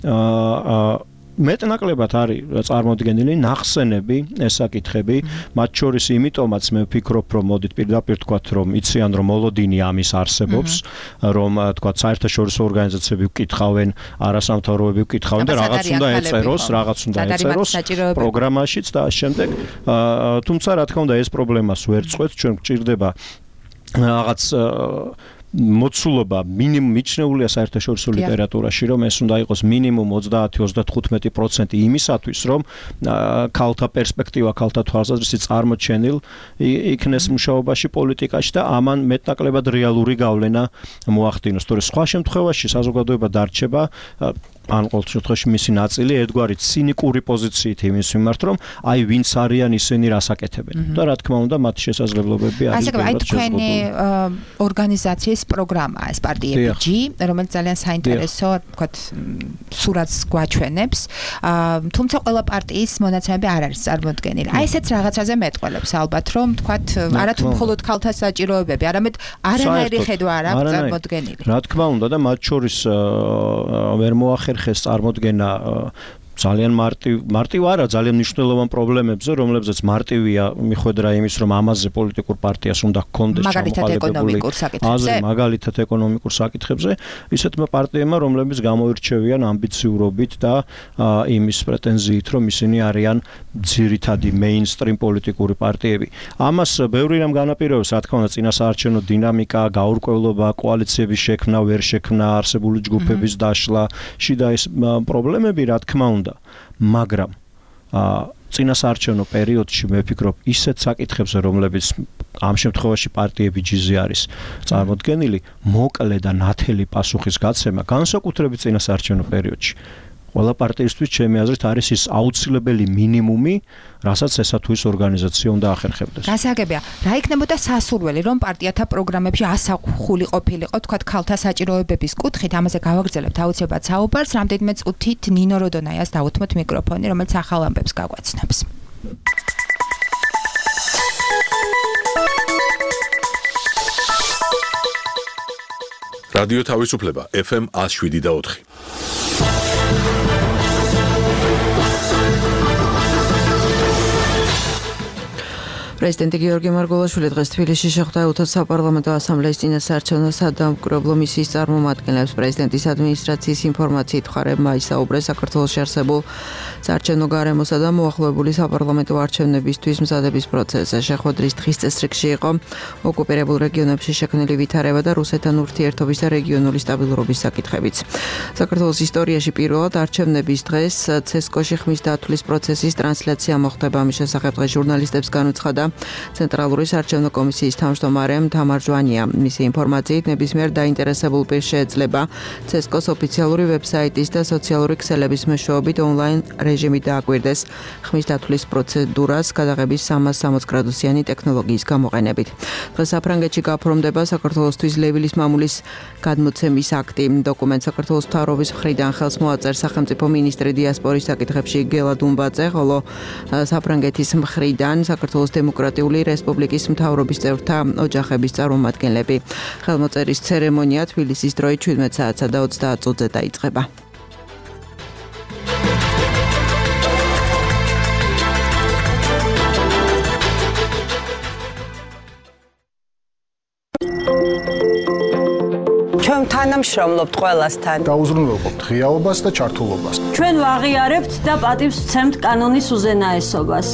აა მეტნაკლებად არის წარმოდგენილი ნახსენები ეს საკითხები, მათ შორის იმიტომაც მე ვფიქრობ, რომ მოდით პირდაპირ თქვათ, რომ იციან, რომ მოლოდინი ამის არსებობს, რომ თქვათ საერთაშორისო ორგანიზაციები ვკითხავენ, არასამთავრობოები ვკითხავენ და რაღაც უნდა ეწეროს, რაღაც უნდა ეწეროს პროგრამაშიც და შემდეგ. თუმცა რა თქმა უნდა ეს პრობლემას ვერ წყვეტს, ჩვენ გვჭირდება რაღაც მოცულობა მინიმუმ მიჩნეულია საერთაშორისო ლიტერატურაში, რომ ეს უნდა იყოს მინიმუმ ოცდაათი ოცდათხუთმეტი პროცენტი იმისათვის, რომ ქალთა პერსპექტივა, ქალთა თვალსაზრისი წარმოჩენილ იქნეს მუშაობაში, პოლიტიკაში და ამან მეტნაკლებად რეალური გავლენა მოახდინოს. თორე სხვა შემთხვევაში საზოგადოება დარჩება ან ყოველ შემთხვევაში მისი ნაწილი ერთგვარი ცინიკური პოზიციით იმის მიმართ, რომ აი ვინც არიან ისინი რას აკეთებენ. და რა თქმა უნდა, მათი შესაძლებლობები არის ბევრად შეზღუდული. აი თქვენი ორგანიზაციის პროგრამა ეს პარტიები, რომელიც ძალიან საინტერესო, თქვათ, სურათს გვაჩვენებს. თუმცა ყველა პარტიის მონაცემები არ არის წარმოდგენილი. აი ესეც რაღაცაზე მეტყველებს ალბათ, რომ თქვათ, არათუ მხოლოდ ქალთა საჭიროებები, არამედ არანაირი ხედვა არ აქვს წარმოდგენილი. რა თქმა უნდა და მათ შორის ვერ მოახერხეს წარმოდგენა ძალიან მარტივ მარტივ არა ძალიან მნიშვნელოვან პრობლემებზე, რომლებზეც მარტივია მიხვედრა იმის, რომ ამაზე პოლიტიკურ პარტიას უნდა ჰქონდეს ჩამოყალიბებული აზრი მაგალითად ეკონომიკურ საკითხებზე, ისეთმა პარტიებმა, რომლებიც გამოირჩევიან ამბიციურობით და იმის პრეტენზიით, რომ ისინი არიან ძირითადი მეინსტრიმ პოლიტიკური პარტიები. ამას ბევრი რამ განაპირობებს, რა თქმა უნდა, წინასაარჩევნო დინამიკა, გაურკვევლობა, კოალიციების შექმნა, ვერ შექმნა, არსებული ჯგუფების დაშლა, შიდა ეს პრობლემები, რა თქმა უნდა მაგრამ წინასაარჩევნო პერიოდში მე ვფიქრობ ისეთ საკითხებზე, რომლებიც ამ შემთხვევაში პარტიები ჯიზი არის წარმოდგენილი, მოკლე და ნათელი პასუხის გაცემა განსაკუთრებით წინასაარჩევნო პერიოდში ყველა პარტიისთვის ჩემი აზრით არის ის აუცილებელი მინიმუმი, რასაც ესა თუ ის ორგანიზაცია უნდა ახერხებდეს. გასაგებია, რა იქნებოდა სასურველი, რომ პარტიათა პროგრამებში ასახული ყოფილიყო, თქვათ, ქალთა საჭიროებების კუთხით, ამაზე გავაგრძელებთ აუცილებლად საუბარს, რამდენიმე წუთით ნინო როდონაიას დავუთმოთ მიკროფონი, რომელიც ახალ ამბებს გაგვაცნობს. რადიო თავისუფლება ეფ ემ ათს შვიდი და ოთხი. პრეზიდენტი გიორგი მარგველაშვილი დღეს თბილისში შეხვდა უთოს საპარლამენტო ასამბლეის წინასაარჩევნო სადამკვირვებლო მისიის წარმომადგენლებს. პრეზიდენტის ადმინისტრაციის ინფორმაციით მხარებმა ისაუბრეს საქართველოში არსებულ საარჩევნო გარემოსა და მოახლოებული საპარლამენტო არჩევნებისთვის მზადების პროცესზე. შეხვედრის დღის წესრიგში იყო ოკუპირებულ რეგიონებში შექმნილი ვითარება და რუსეთთან ურთიერთობის და რეგიონული სტაბილურობის საკითხებიც. საქართველოს ისტორიაში პირველად არჩევნების დღეს ცესკოში ხმის დათვლის პროცესის ტრანსლაცია მოხდება. ამის შესახებ დღეს ჟურნალისტებს განუცხადა ცენტრალური საარჩევნო კომისიის თავმჯდომარე თამარ ჟვანია. მისი ინფორმაციით ნებისმიერ დაინტერესებულ პირს შეეძლება ცესკოს ოფიციალური ვებსაიტის და სოციალური ქსელების მეშვეობით ონლაინ რეჟიმით დააკვირდეს ხმის დათვლის პროცედურას გადაღების სამას სამოცდ გრადუსიანი ტექნოლოგიის გამოყენებით. დღეს საფრანგეთში გაფორმდება საქართველოსთვის ლევილის მამულის გადმოცემის აქტი. დოკუმენტს საქართველოს მთავრობის მხრიდან ხელს მოაწერს სახელმწიფო მინისტრი დიასპორის საკითხებში გელა დუმბაძე, ხოლო საფრანგეთის მხრიდან საქართველოს დემოკრატიული რესპუბლიკის მთავრობის წევრთა ოჯახების წარმომადგენლები. ხელმოწერის ცერემონია თბილისის დროით შვიდმეტ საათსა და ოცდაათ წუთზე დაიწყება. ჩვენ თანამშრომლობთ ყველასთან. გაუზრუნველყოფთ ღიაობას და ჩართულობას. ჩვენ ვაღიარებთ და პატივს ვცემთ კანონის უზენაესობას.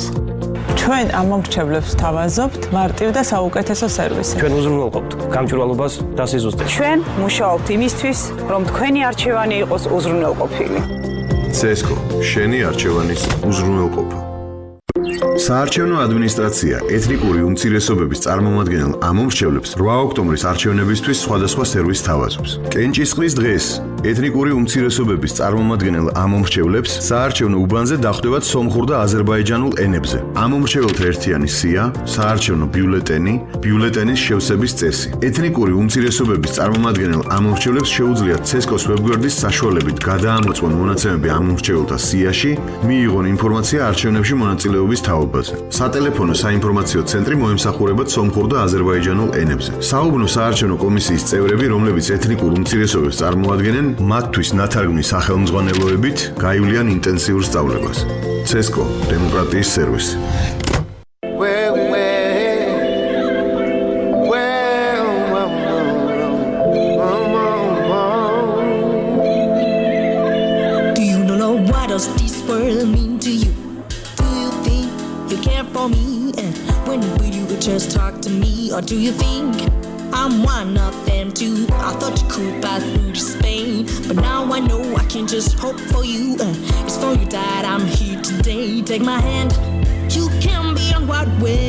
ჩვენ ამომრჩევლებს თავაზობთ მარტივ და საუკეთესო სერვისი. ჩვენ უზრუნველყოფთ გამჭვირვალობას და სიზუსტეს. ჩვენ მუშაობთ იმისთვის, რომ თქვენი არჩევანი იყოს უზრუნველყოფილი. ცესკო, შენი არჩევანის უზრუნველყოფა. საარჩევნო ადმინისტრაცია ეთნიკური უმცირესობების წარმომადგენელ ამომრჩევლებს რვა ოქტომბრის არჩევნებისთვის სხვადასხვა სერვისს თავაზობს. კენჭისყრის დღეს ეთნიკური უმცირესობების წარმომადგენელ ამომრჩევლებს საარჩევნო უბანზე დახვდებათ სომხურ და აზერბაიჯანულ ენებზე. ამომრჩეველთა ერთიანი სია, საარჩევნო ბიულეტენი, ბიულეტენის შევსების წესი. ეთნიკური უმცირესობების წარმომადგენელ ამომრჩევლებს შეუძლიათ ცესკოს ვებგვერდის საშუალებით გადაამოწმონ მონაცემები ამომრჩეველთა სიაში, მიიღონ ინფორმაცია არჩევნებში მონაწილეობის თაობაზე. სატელეფონო საინფორმაციო ცენტრი მოემსახურებათ სომხურ და აზერბაიჯანულ ენებზე. საუბნო საარჩევნო კომისიის წევრები, რომლებიც ეთნიკურ უმცირესობებს წარმოადგენენ, მათთვის ნათარგმნის სახელმძღვანელოებით გაივლიან ინტენსიურ სწავლებას. ცესკო, დემოკრატიის სერვისი. Just talk to me, or do you think I'm one of them too? I thought you could pass through to Spain, but now I know I can just hope for you. Uh, it's for you that I'm here today. Take my hand, you can be on what way.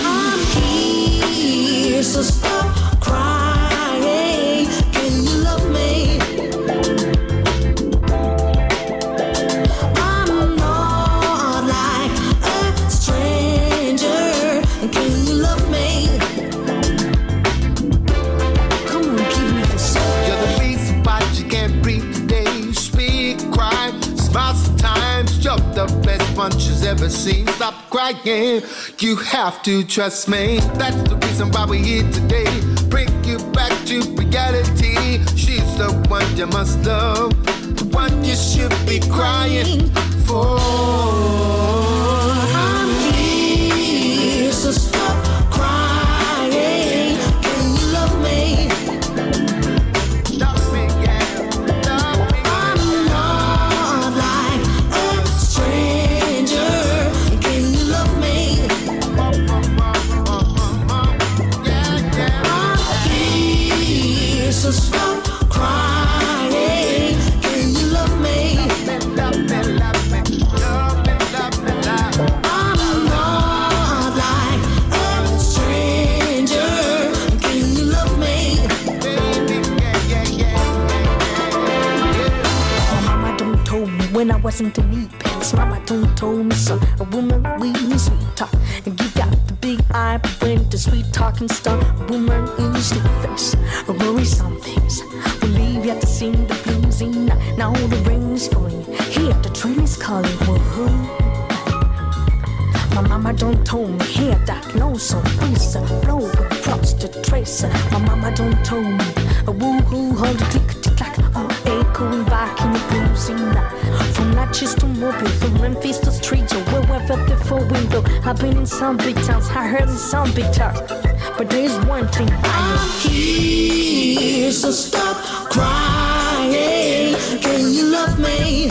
I'm here, so stop crying. Can you love me? The best punches ever seen. Stop crying, you have to trust me. That's the reason why we're here today. Bring you back to reality. She's the one you must love, the one you should be crying for. I'm here, so stop crying. Can you love me? So stop crying. Can you love me? Love me, love me, love me, love me, love me. I'm not like a stranger. Can you love me? Baby, yeah, yeah, yeah, yeah. Oh, mama don't told me when I wasn't in need pants. Mama don't told me so. A woman with sweet talk and give out the big eye, but when the sweet talking stuff, a woman in the sweet face. A worry some things. We leave yet to sing the blues in. Now the rain is falling. Here the train is calling. Whoa. My mama don't told me here that lonesome breeze blow across the trace. My mama don't told me a woo-hoo hold a click to clack. Oh, echoing back in the blues in. From Natchez to Mobile, from Memphis to Street or wherever before window. I've been in some big towns, I heard in some big towns. But there's one thing I know. I'm here, so stop crying. Can you love me?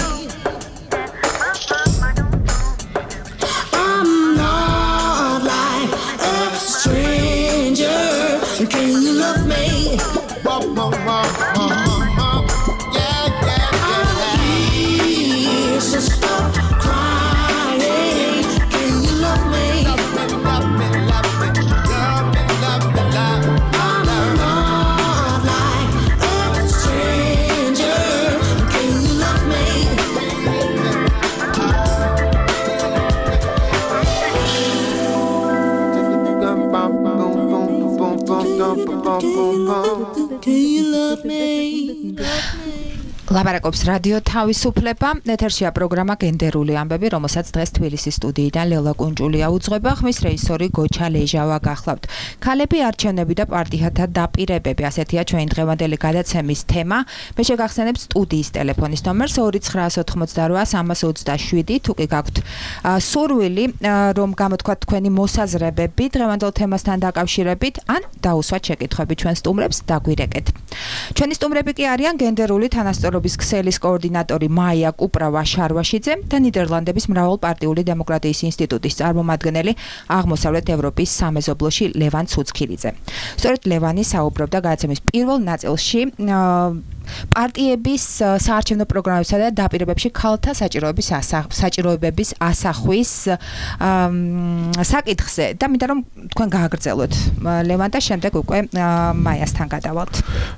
I'm not like a stranger. Can you love me? Yeah, yeah, I'm here, so stop crying. Can you love me? Can you love me? ლაბარაკობს რადიო თავისუფლება. ეთერშია პროგრამა გენდერული ამბები, რომელსაც დღეს თბილისის სტუდიიდან ლელა კუნჭულია უძღვება. ხმის რეჟისორი გოჩა ლეჟავა გახლავთ. ქალები არჩევნები და პარტიათა დაპირებები, ასეთია ჩვენი დღევანდელი გადაცემის თემა. მე შეგახსენებ სტუდიის ტელეფონის ნომერს ორი ცხრაას ოთხმოცდარვა სამას ოცდაშვიდი. თუ კი გაქვთ სურვილი, რომ გამოთქვათ თქვენი მოსაზრებები დღევანდელ თემასთან დაკავშირებით, ან დაუსვათ შეკითხვები ჩვენ სტუმრებს, დაგვირეკეთ. ჩვენი სტუმრები კი არიან გენდერული თანასწორობის ქსელის კოორდინატორი მაია კუპრავა-შარვაშიძე და ნიდერლანდების მრავალპარტიული დემოკრატიის ინსტიტუტის წარმომადგენელი აღმოსავლეთ ევროპის სამეზობლოში ლევან ცუცქილიძე. სწორედ ლევანი საუბრობდა გადაცემის პირველ ნაწილში პარტიების საარჩევნო პროგრამებსა და დაპირებებში ქალთა საჭიროების საჭიროებების ასახვის საკითხზე და მინდა რომ თქვენ გააგრძელოთ ლევან და შემდეგ უკვე მაიასთან გადავალთ.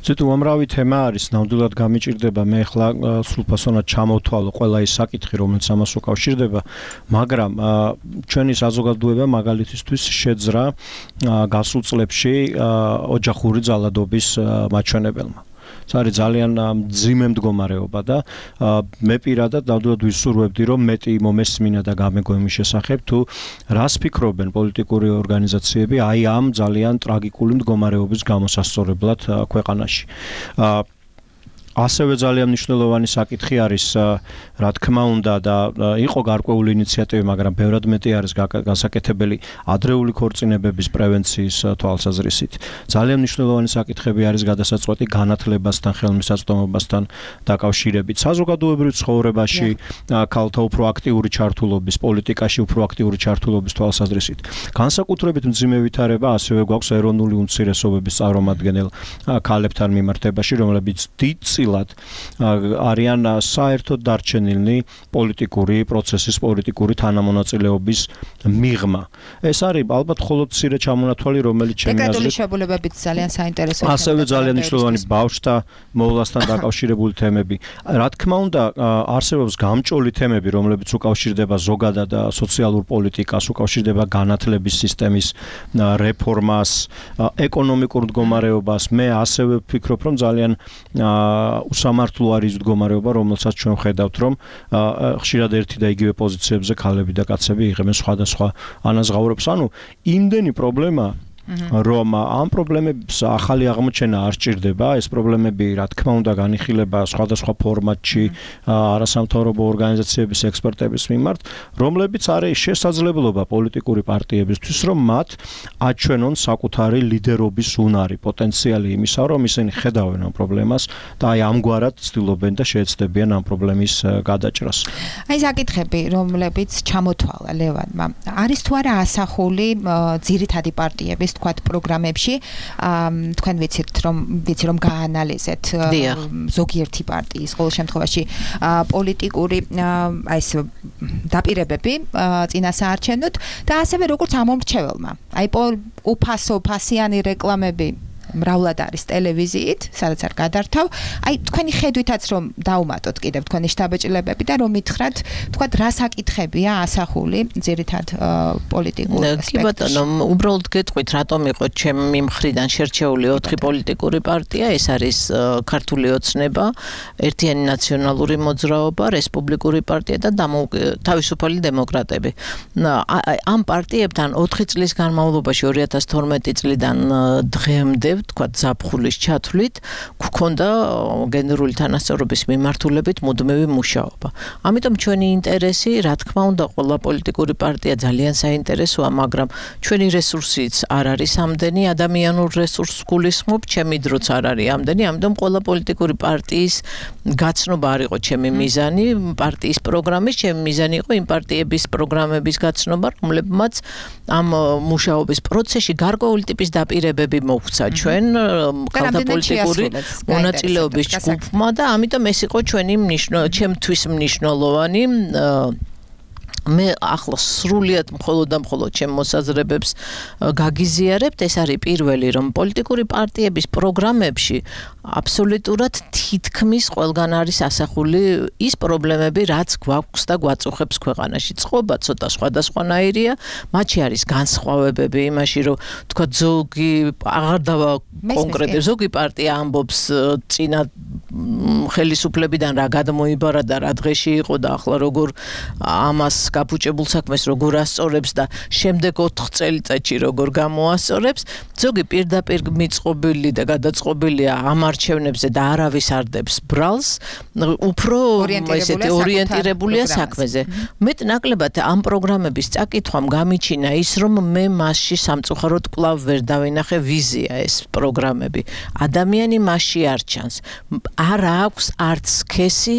ზეთ უამრავი თემა არის, ნამდვილად გამიჭირდება მე ახლა სრულფასოვნად ჩამოვთვალო ყველა ის საკითხი, რომელიც ამას უკავშირდება, მაგრამ ჩვენი საზოგადოება მაგალითისთვის შეძრა გასულ წლებში ოჯახური ძალადობის მაჩვენებელმა. ეს არის ძალიან მძიმე მდგომარეობა და მე პირადად ნამდვილად ვისურვებდი, რომ მეტი მომესმინა და გამეგო იმის შესახებ, თუ რას ფიქრობენ პოლიტიკური ორგანიზაციები აი ამ ძალიან ტრაგიკული მდგომარეობის გამოსასწორებლად ქვეყანაში. ასევე ძალიან მნიშვნელოვანი საკითხი არის, რა თქმა უნდა და იყო გარკვეული ინიციატივი, მაგრამ ბევრად მეტი არის გასაკეთებელი ადრეული ქორწინებების პრევენციის თვალსაზრისით. ძალიან მნიშვნელოვანი საკითხები არის გადასაწყვეტი განათლებასთან, ხელმისაწვდომობასთან დაკავშირებით. საზოგადოებრივ ცხოვრებაში ქალთა უფრო აქტიური ჩართულობის, პოლიტიკაში უფრო აქტიური ჩართულობის თვალსაზრისით. განსაკუთრებით მძიმე ვითარება ასევე გვაქვს ეროვნული უმცირესობების წარმომადგენელ ქალებთან მიმართებაში, რომლებიც დიდ არიან საერთოდ დარჩენილნი პოლიტიკური პროცესის, პოლიტიკური თანამონაწილეობის მიღმა. ეს არის ალბათ მხოლოდ მცირე ჩამონათვალი, რომელიც ჩემი აზრით დეკრეტული შებულებებით ძალიან საინტერესოა. ასევე ძალიან მნიშვნელოვანი ბავშვთა მოვლასთან დაკავშირებული თემები. რა თქმა უნდა, არსებობს გამჭოლი თემები, რომლებიც უკავშირდება ზოგადად სოციალურ პოლიტიკას, უკავშირდება განათლების სისტემის რეფორმას, ეკონომიკურ მდგომარეობას. მე ასევე ვფიქრობ, რომ ძალიან უსამართლო არის მდგომარეობა, რომელსაც ჩვენ ხედავთ, რომ ხშირად ერთი და იგივე პოზიციებზე ქალები და კაცები იღებენ სხვადასხვა ანაზღაურებს. ანუ იმდენი პრობლემა რომ ამ პრობლემებს ახალი აღმოჩენა არ სჭირდება, ეს პრობლემები რა თქმა უნდა განიხილება სხვადასხვა ფორმატში არასამთავრობო ორგანიზაციების ექსპერტების მიმართ, რომლებიც არის შესაძლებლობა პოლიტიკური პარტიებისთვის, რომ მათ აჩვენონ საკუთარი ლიდერობის უნარი, პოტენციალი იმისა, რომ ისინი ხედავენ ამ პრობლემას და აი ამგვარად ცდილობენ და შეეცდებიან ამ პრობლემის გადაჭრას. აი საკითხები, რომლებიც ჩამოთვალა ლევანმა, არის თუ არა ასახული ძირითადი პარტიების თქვათ პროგრამებში, თქვენ ვიცით რომ ვიცი რომ გაანალიზეთ ზოგიერთი პარტიის ყოველ შემთხვევაში პოლიტიკური აი ეს დაპირებები წინასაარჩევნოდ და ასევე როგორც ამომრჩეველმა. აი უფასო ფასიანი რეკლამები მრავლად არის ტელევიზიით, სადაც არ გადართავ. აი თქვენი ხედვითაც რომ დაუმატოთ კიდევ თქვენი შტაბეჭილებები და რომ მითხრათ, თქვათ რა საკითხებია ასახული ძირითად პოლიტიკურ ასპექტში. კი ბატონო, უბრალოდ გეტყვით, რატომ იყო ჩემი მხრიდან შერჩეული ოთხი პოლიტიკური პარტია, ეს არის ქართული ოცნება, ერთიანი ნაციონალური მოძრაობა, რესპუბლიკური პარტია და თავისუფალი დემოკრატები. ამ პარტიებთან ოთხი წლის განმავლობაში ორი ათას თორმეტი წლიდან დღემდე თქვა ზაფხულის ჩათვლით გქონდა გენერალური თანასწორობის მიმართულებით მუდმივი მუშაობა. ამიტომ ჩვენი ინტერესი, რა თქმა უნდა, ყველა პოლიტიკური პარტია ძალიან საინტერესოა, მაგრამ ჩვენი რესურსიც არ არის ამდენი, ადამიანურ რესურსს გულისხმობ, ჩემი დროც არ არის ამდენი, ამიტომ ყველა პოლიტიკური პარტიის გაცნობა არ იყო ჩემი მიზანი, პარტიის პროგრამის, ჩემი მიზანი იყო იმ პარტიების პროგრამების გაცნობა, რომლებმაც ამ მუშაობის პროცესში გარკვეული ტიპის დაპირებები მოგვცა ჩვენ ხალხთა პოლიტიკური მონაწილეობის ჯგუფმა და ამიტომ ეს იყო ჩვენი მნიშვნელოვანი, ჩემთვის მნიშვნელოვანი მე ახლა სრულიად მხოლოდ და მხოლოდ ჩემ მოსაზრებებს გაგიზიარებთ, ეს არის პირველი, რომ პოლიტიკური პარტიების პროგრამებში აბსოლუტურად თითქმის ყველგან არის ასახული ის პრობლემები, რაც გვაქვს და გვაწუხებს ქვეყანაში. წყობა ცოტა სხვადასხვანაირია, მათში არის განსხვავებები იმაში, რომ თქვა ზოგი აღარ დავა კონკრეტი ზოგი პარტია ამბობს წინა ხელისუფლებიდან რა გადმოიბარა და რა დღეში იყო და ახლა როგორ ამას გაფუჭებულ საქმეს როგორ ასწორებს და შემდეგ ოთხ წელიწადში როგორ გამოასწორებს. ზოგი პირდაპირ მიწყობილი და გადაწყობილია ამ არჩევნებზე და არავის არ დებს ბრალს, უფრო ესეთი ორიენტირებულია საქმეზე. მეტ ნაკლებად ამ პროგრამების წაკითხვამ გამიჩინა ის, რომ მე მასში სამწუხაროდ კვლავ ვერ დავინახე ვიზია ეს პროგრამები. ადამიანი მასში არ ჩანს. არ აქვს არც სქესი,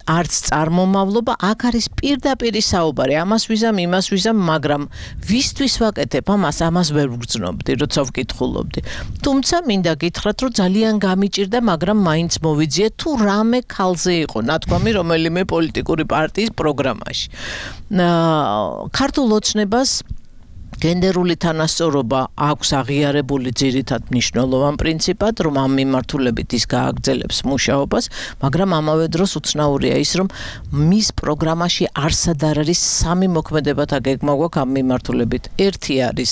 არც წარმომავლობა, აქ არის პირდაპირი საუბარი, ამას ვიზამ, იმას ვიზამ, მაგრამ ვისთვის ვაკეთებ ამას, ამას ვერ ვგრძნობდი, როცა ვკითხულობდი. თუმცა მინდა გითხრათ, რომ ძალიან გამიჭირდა, მაგრამ მაინც მოვიძიე თუ რამე ქალზე იყო ნათქვამი რომელიმე პოლიტიკური პარტიის პროგრამაში. ქართულ ოცნებას გენდერული თანასწორობა აქვს აღიარებული ძირითად მნიშვნელოვან პრინციპად, რომ ამ მიმართულებით ის გააგრძელებს მუშაობას, მაგრამ ამავე დროს უცნაურია ის, რომ მის პროგრამაში არსად არ არის სამი მოქმედებათა გეგმა გვაქვს ამ მიმართულებით. ერთი არის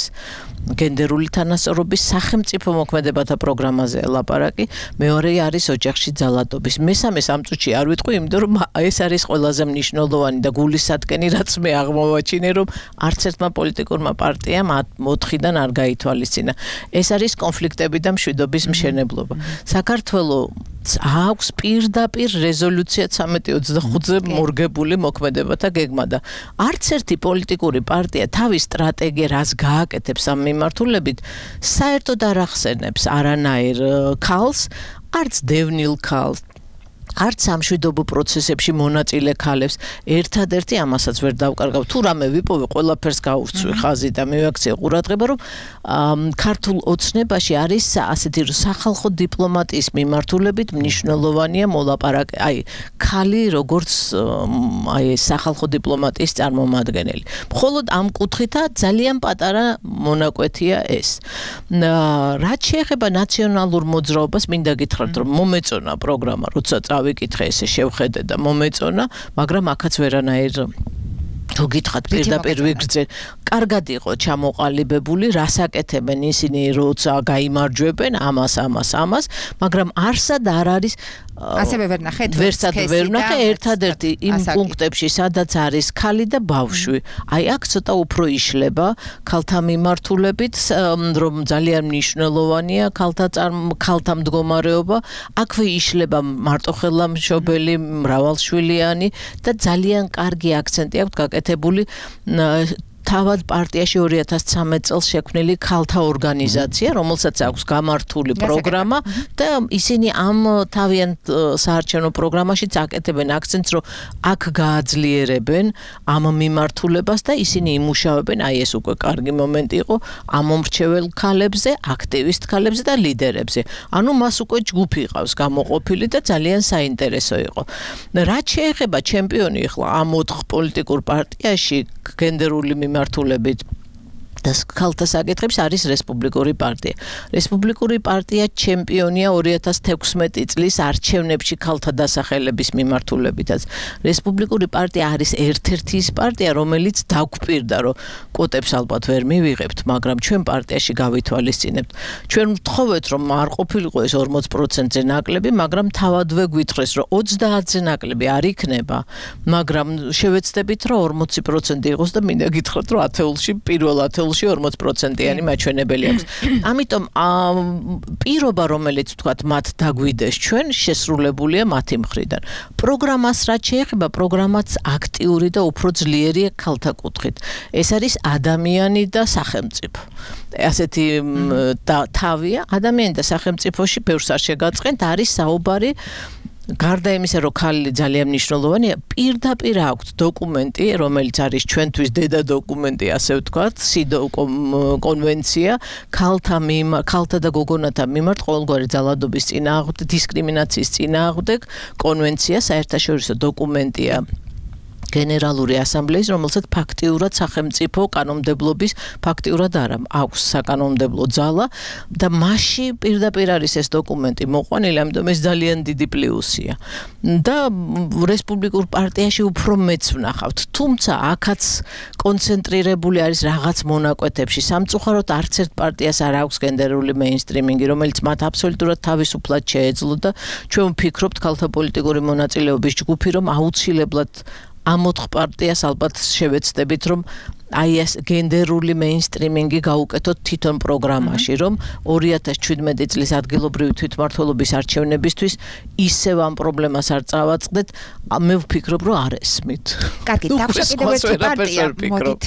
გენდერული თანასწორობის სახელმწიფო მოქმედებათა პროგრამაზე ლაპარაკი, მეორე არის ოჯახში ძალადობის. მესამე სამწუთში არ ვიტყვი, იმიტომ რომ ეს არის ყველაზე მნიშვნელოვანი და გულისათკენი, რაც მე აღმოვაჩინე, რომ არც ერთმა პოლიტიკურმა პარტიამ ოთხიდან არ გაითვალისწინა. ეს არის კონფლიქტები და მშვიდობის მშენებლობა. საქართველოს აქვს პირდაპირ რეზოლუცია ცამეტი ოცდახუთზე მორგებული მოქმედებათა გეგმა და არც ერთი პოლიტიკური პარტია თავის სტრატეგია რას გააკეთებს ამ მიმართულებით საერთოდ არ ახსენებს არანაირ ქალს, არც დევნილ ქალს, არც სამშვიდობო პროცესებში მონაწილე ქალებს. ერთადერთი ამასაც ვერ დავკარგავ. თუ რამე ვიპოვე, ყველაფერს გავურცვი ხაზი და მივაქციე ყურადღება, რომ ქართულ ოცნებაში არის ასეთი სახალხო დიპლომატიის მიმართულებით მნიშვნელოვანია მოლაპარაკე, აი, ქალი როგორც აი სახალხო დიპლომატიის წარმომადგენელი. მხოლოდ ამ კუთხითა ძალიან პატარა მონაკვეთია ეს. რაც შეეხება ნაციონალურ მოძრაობას, მინდა გითხრათ, რომ მომეწონა პროგრამა, როცა ვიკითხე ესე შევხედე და მომეწონა, მაგრამ აქაც ვერანაირ თუ გითხათ პირდაპირ ვიგრძე, კარგად იყო ჩამოყალიბებული, რას აკეთებენ ისინი, როცა გაიმარჯვებენ ამას, ამას, ამას, მაგრამ არსად არ არის ასევე ვერ ნახეთ ვერსად ვერ ნახე ერთადერთი იმ პუნქტებში, სადაც არის ქალი და ბავშვი. აი აქ ცოტა უფრო იშლება ქალთა მიმართულებით, რომ ძალიან მნიშვნელოვანია ქალთა ქალთა მდგომარეობა, აქვე იშლება მარტოხელამშობელი, მრავალშვილიანი და ძალიან კარგი აქცენტი აქვს გაკეთებული თავად პარტიაში ორი ათას ცხრამეტ წელს შექმნილი ქალთა ორგანიზაცია, რომელსაც აქვს გამართული პროგრამა და ისინი ამ თავიანთ საარჩევნო პროგრამაში წაკეთებენ აქცენტს, რომ აქ გააძლიერებენ ამ მიმართულებას და ისინი იმუშავებენ, აი ეს უკვე კარგი მომენტი იყო, ამომრჩეველ ქალებზე, აქტივისტ ქალებზე და ლიდერებზე. ანუ მას უკვე ჯგუფი ყავს გამოყოფილი და ძალიან საინტერესო იყო. რაც შეეხება ჩემპიონი ახლა ამ ოთხ პოლიტიკურ პარტიაში გენდერული მიმართულებით და ქალთა საკითხებს არის რესპუბლიკური პარტია. რესპუბლიკური პარტია ჩემპიონია ორი ათას თექვსმეტი წლის არჩევნებში ქალთა დასახელების მიმართულებითაც. რესპუბლიკური პარტია არის ერთ-ერთი ის პარტია, რომელიც დაგვპირდა, რომ კვოტებს ალბათ ვერ მივიღებთ, მაგრამ ჩვენ პარტიაში გავითვალისწინებთ. ჩვენ ვთხოვეთ, რომ არ ყოფილიყო ეს ორმოც პროცენტზე ნაკლები, მაგრამ თავადვე გვითხრეს, რომ ოცდაათზე ნაკლები არ იქნება, მაგრამ შევეცდებით, რომ ორმოცი პროცენტი იყოს და მინდა გითხრათ, რომ ათეულში პირველ ათეულში ორმოც პროცენტიანი მაჩვენებელი აქვს. ამიტომ პირობა, რომელიც თქვათ მათ დაგვიდეს ჩვენ, შესრულებულია მათი მხრიდან. პროგრამას რაც შეეხება, პროგრამაც აქტიური და უფრო ძლიერია ქალთა კუთხით. ეს არის ადამიანი და სახელმწიფო. ასეთი თავია, ადამიანი და სახელმწიფოში ბევრს არ შეგაწყენთ, არის საუბარი გარდა იმისა, რომ ქალი ძალიან მნიშვნელოვანია, პირდაპირ აქვს დოკუმენტი, რომელიც არის ჩვენთვის დედა დოკუმენტი, ასე ვთქვათ, სიდო კონვენცია, ქალთა მიმართ, ქალთა და გოგონათა მიმართ ყოველგვარი ძალადობის წინააღმდეგ, დისკრიმინაციის წინააღმდეგ კონვენცია, საერთაშორისო დოკუმენტია. გენერალური ასამბლეის, რომელსაც ფაქტიურად სახელმწიფო კანონმდებლობის ფაქტიურად არა აქვს საკანონმდებლო ძალა და მასში პირდაპირ არის ეს დოკუმენტი მოყვანილი, ამიტომ ეს ძალიან დიდი პლუსია. და რესპუბლიკურ პარტიაში უფრო მეც ვნახავთ, თუმცა აქაც კონცენტრირებული არის რაღაც მონაკვეთებში. სამწუხაროდ არც ერთ პარტიას არ აქვს გენდერული მეინსტრიმინგი, რომელიც მათ აბსოლუტურად თავისუფლად შეეძლო და ჩვენ ვფიქრობთ ქალთა პოლიტიკური მონაწილეობის ჯგუფი, რომ აუცილებლად ამ ოთხ პარტიას ალბათ შევეცდებით, რომ აი ეს გენდერული მეინსტრიმინგი გაუკეთოთ თვითონ პროგრამაში, რომ ორი ათას ჩვიდმეტი წლის ადგილობრივი თვითმმართველობის არჩევნებისთვის ისევ ამ პრობლემას არ წავაწყდეთ, მე ვფიქრობ, რომ არ ესმით. კარგი, დაგვრჩა კიდევ ერთი პარტია, მოდით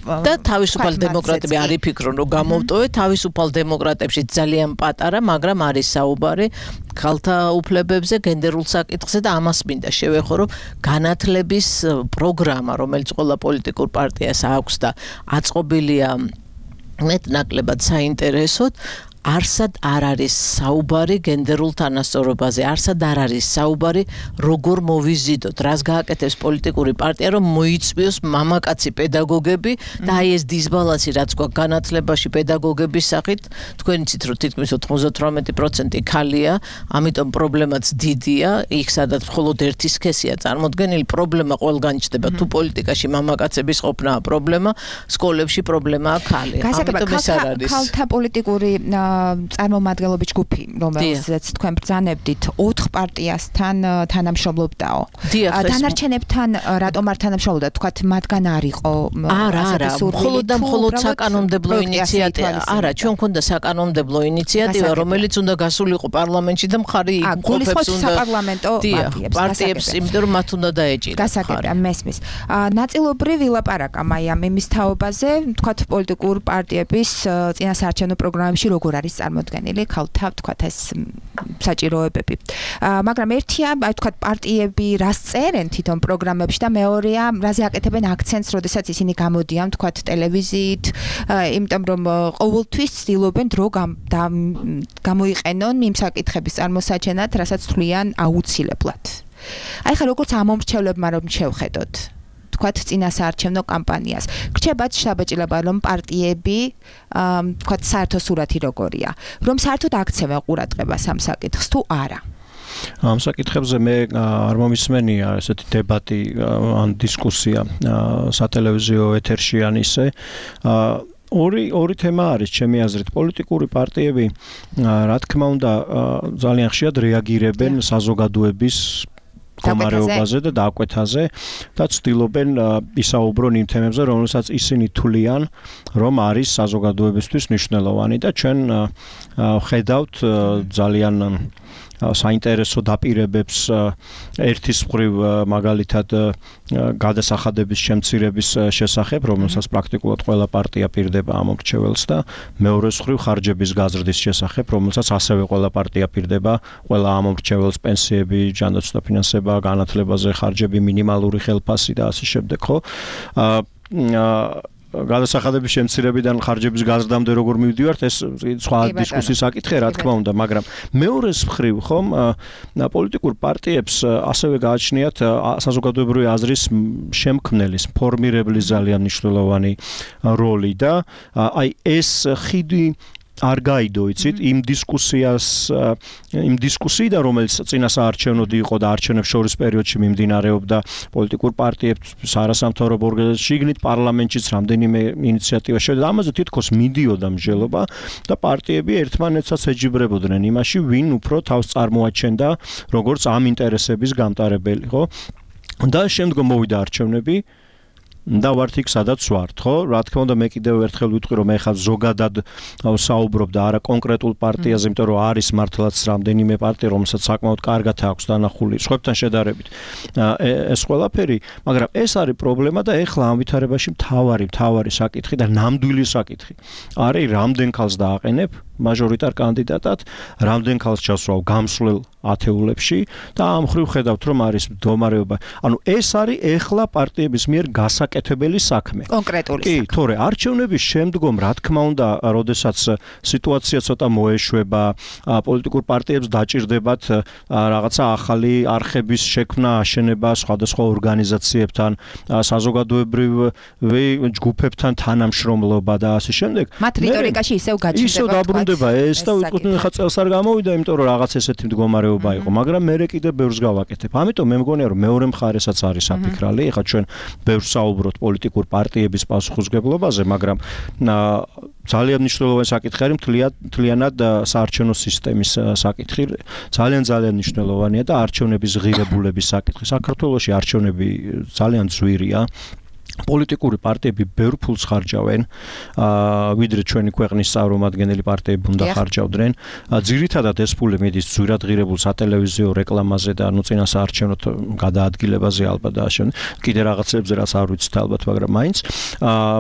და თავისუფალ დემოკრატები არ იფიქრონ, რომ გამოვტოვეთ, თავისუფალ დემოკრატებში ძალიან პატარა, მაგრამ არის საუბარი ქალთა უფლებებზე, გენდერულ საკითხზე და ამას მინდა შევეხო, რომ განათლების პროგრამა, რომელიც ყველა პოლიტიკურ პარტიას აქვს და აწყობილია მეტნაკლებად საინტერესოდ, არსად არ არის საუბარი გენდერულ თანასწორობაზე, არსად არ არის საუბარი როგორ მოვიზიდოთ, რას გააკეთებს პოლიტიკური პარტია, რომ მოიწვიოს მამაკაცი პედაგოგები და აი ეს დისბალანსი რაც გვაქვს განათლებაში პედაგოგების სახით, თქვენ იცით რომ თითქმის ოცდაოთხ პროცენტი ქალია, ამიტომ პრობლემაც დიდია, იქ სადაც მხოლოდ ერთი სქესია წარმოდგენილი, პრობლემა ყველგან ჩნდება, თუ პოლიტიკაში მამაკაცების ყოფნა პრობლემა, სკოლებში პრობლემაა ქალი. ამიტომ ეს არ არის. ქალთა პოლიტიკური წარმომადგენლობის ჯგუფი, რომელზეც თქვენ ბრძანებდით, ოთხ პარტიასთან თანამშრომლობდაო. დანარჩენებთან რატომ არ თანამშრომლობდა? თქვათ, მათგან არ იყო არა, არა, მხოლოდ და მხოლოდ საკანონმდებლო ინიციატივა. არა, ჩვენ გვქონდა საკანონმდებლო ინიციატივა, რომელიც უნდა გასულიყო პარლამენტში და მხარი გულისხმობს საპარლამენტო პარტიებს, იმიტომ რომ მათ უნდა დაეჭირათ. გასაგებია, მესმის. ნაწილობრივ ვილაპარაკა მაიამ იმის თაობაზე, თქვათ, პოლიტიკურ პარტიების წინასაარჩევნო პროგრამებში როგორ არის წარმოდგენილი ქალთა თქვათ ეს საჭიროებები. მაგრამ ერთია, აი თქვათ პარტიები რას წერენ თვითონ პროგრამებში და მეორეა, რაზე აკეთებენ აქცენტს, როდესაც ისინი გამოდიან თქვათ ტელევიზიით, იმიტომ რომ ყოველთვის ცდილობენ დრო გამოიყენონ იმ საკითხების წარმოსაჩენად, რასაც თვლიან აუცილებლად. აი ხა როგორც ამომრჩევლებმა რომ შევხედოთ თქვათ წინასაარჩევნო კამპანიას. გრჩებათ შთაბეჭდილება, რომ პარტიები თქვათ საერთო სურათი როგორია, რომ საერთოდ აქცევენ ყურადღებას ამ საკითხს თუ არა. ამ საკითხებზე მე არ მომისმენია ესეთი დებატი ან დისკუსია სატელევიზიო ეთერში ან ისე. ორი ორი თემა არის ჩემი აზრით. პოლიტიკური პარტიები რა თქმა უნდა ძალიან ხშირად რეაგირებენ საზოგადოების მდგომარეობაზე და დაკვეთაზე და ცდილობენ ისაუბრონ იმ თემებზე, რომელსაც ისინი თვლიან, რომ არის საზოგადოებისთვის მნიშვნელოვანი და ჩვენ ხედავთ ძალიან საინტერესო დაპირებებს ერთის მხრივ მაგალითად გადასახადების შემცირების შესახებ, რომელსაც პრაქტიკულად ყველა პარტია პირდება ამორჩეველს და მეორეს მხრივ ხარჯების გაზრდის შესახებ, რომელსაც ასევე ყველა პარტია პირდება, ყველა ამორჩეველს პენსიები, ჯანდაცვა, ფინანსება, განათლებაზე ხარჯები, მინიმალური ხელფასი და ასე შემდეგ, ხო? გადასახადების შემცირებიდან ხარჯების გაზრდამდე როგორ მივდივართ, ეს სხვა დისკუსიის საკითხია, რა თქმა უნდა, მაგრამ მეორეს მხრივ ხომ პოლიტიკურ პარტიებს ასევე გააჩნიათ საზოგადოებრივი აზრის შემქმნელის, ფორმირებლის ძალიან მნიშვნელოვანი როლი და აი ეს ხიდი არ გაიდო, იცით, იმ დისკუსიას, იმ დისკუსიიდან, რომელიც წინასაარჩევნოდ იყო და არჩევნებს შორის პერიოდში მიმდინარეობდა პოლიტიკურ პარტიებს არასამთავრობო ორგანიზაციებში, შიგნით პარლამენტშიც რამდენიმე ინიციატივა შევიდა, ამაზე თითქოს მიდიოდა მსჯელობა და პარტიები ერთმანეთსაც ეჯიბრებოდნენ იმაში, ვინ უფრო თავს წარმოაჩენდა როგორც ამ ინტერესების გამტარებელი, ხო? და შემდგომ მოვიდა არჩევნები და ვართ იქ სადაც ვართ, ხო? რა თქმა უნდა მე კიდევ ერთხელ ვიტყვი, რომ ეხლა ზოგადად საუბრობ და არა კონკრეტულ პარტიაზე, იმიტომ რომ არის მართლაც რამდენიმე პარტია, რომელსაც საკმაოდ კარგად აქვს დანახული სხვებთან შედარებით ეს ყველაფერი, მაგრამ ეს არის პრობლემა და ეხლა ამ ვითარებაში მთავარი მთავარი საკითხი და ნამდვილი საკითხი არის რამდენ ქალს დააყენებ მაჟორიტარ კანდიდატად, რამდენ ქალს ჩასვავ გამსვლელ ათეულებში და ამ ხრივ ხედავთ, რომ არის მდგომარეობა. ანუ ეს არის ეხლა პარტიების მიერ გასაკეთებელი გასაკეთებელი საქმე. კონკრეტული კი, თორე არჩევნების შემდგომ, რა თქმა უნდა, როდესაც სიტუაცია ცოტა მოეშვება, პოლიტიკურ პარტიებს დაჭირდებათ რაღაცა ახალი არხების შექმნა, აშენება სხვადასხვა ორგანიზაციებთან, საზოგადოებრივი ჯგუფებთან თანამშრომლობა და ასე შემდეგ. მათ რიტორიკაში ისევ გაჩნდება. ისევ დაბრუნდება ეს და ვიტყვი ხა წელს არ გამოვიდა, იმიტომ რომ რაღაც ესეთი მდგომარეობა იყო, მაგრამ მე კიდე ბევრს გავაკეთებ. ამიტომ მე მგონია რომ მეორე მხარესაც არის საფიქრალი. ეხლა ჩვენ ბევრს საუბრობთ პოლიტიკურ პარტიების პასუხისმგებლობაზე, მაგრამ ძალიან მნიშვნელოვანი საკითხი არის მთლიანად საარჩევნო სისტემის საკითხი. ძალიან ძალიან მნიშვნელოვანია და არჩევნების ღირებულების საკითხი. საქართველოში არჩევნები ძალიან ძვირია. პოლიტიკური პარტიები ბევრ ფულს ხარჯავენ, ვიდრე ჩვენი ქვეყნის წარმომადგენელი პარტიები უნდა ხარჯავდნენ. ძირითადად ეს ფული მიდის ძვირად ღირებულ სატელევიზიო რეკლამაზე და ნუ წინა საარჩევნო გადაადგილებაზე ალბათ და ასე. კიდე რაღაცებზე რაც არ ვიცით ალბათ, მაგრამ მაინც.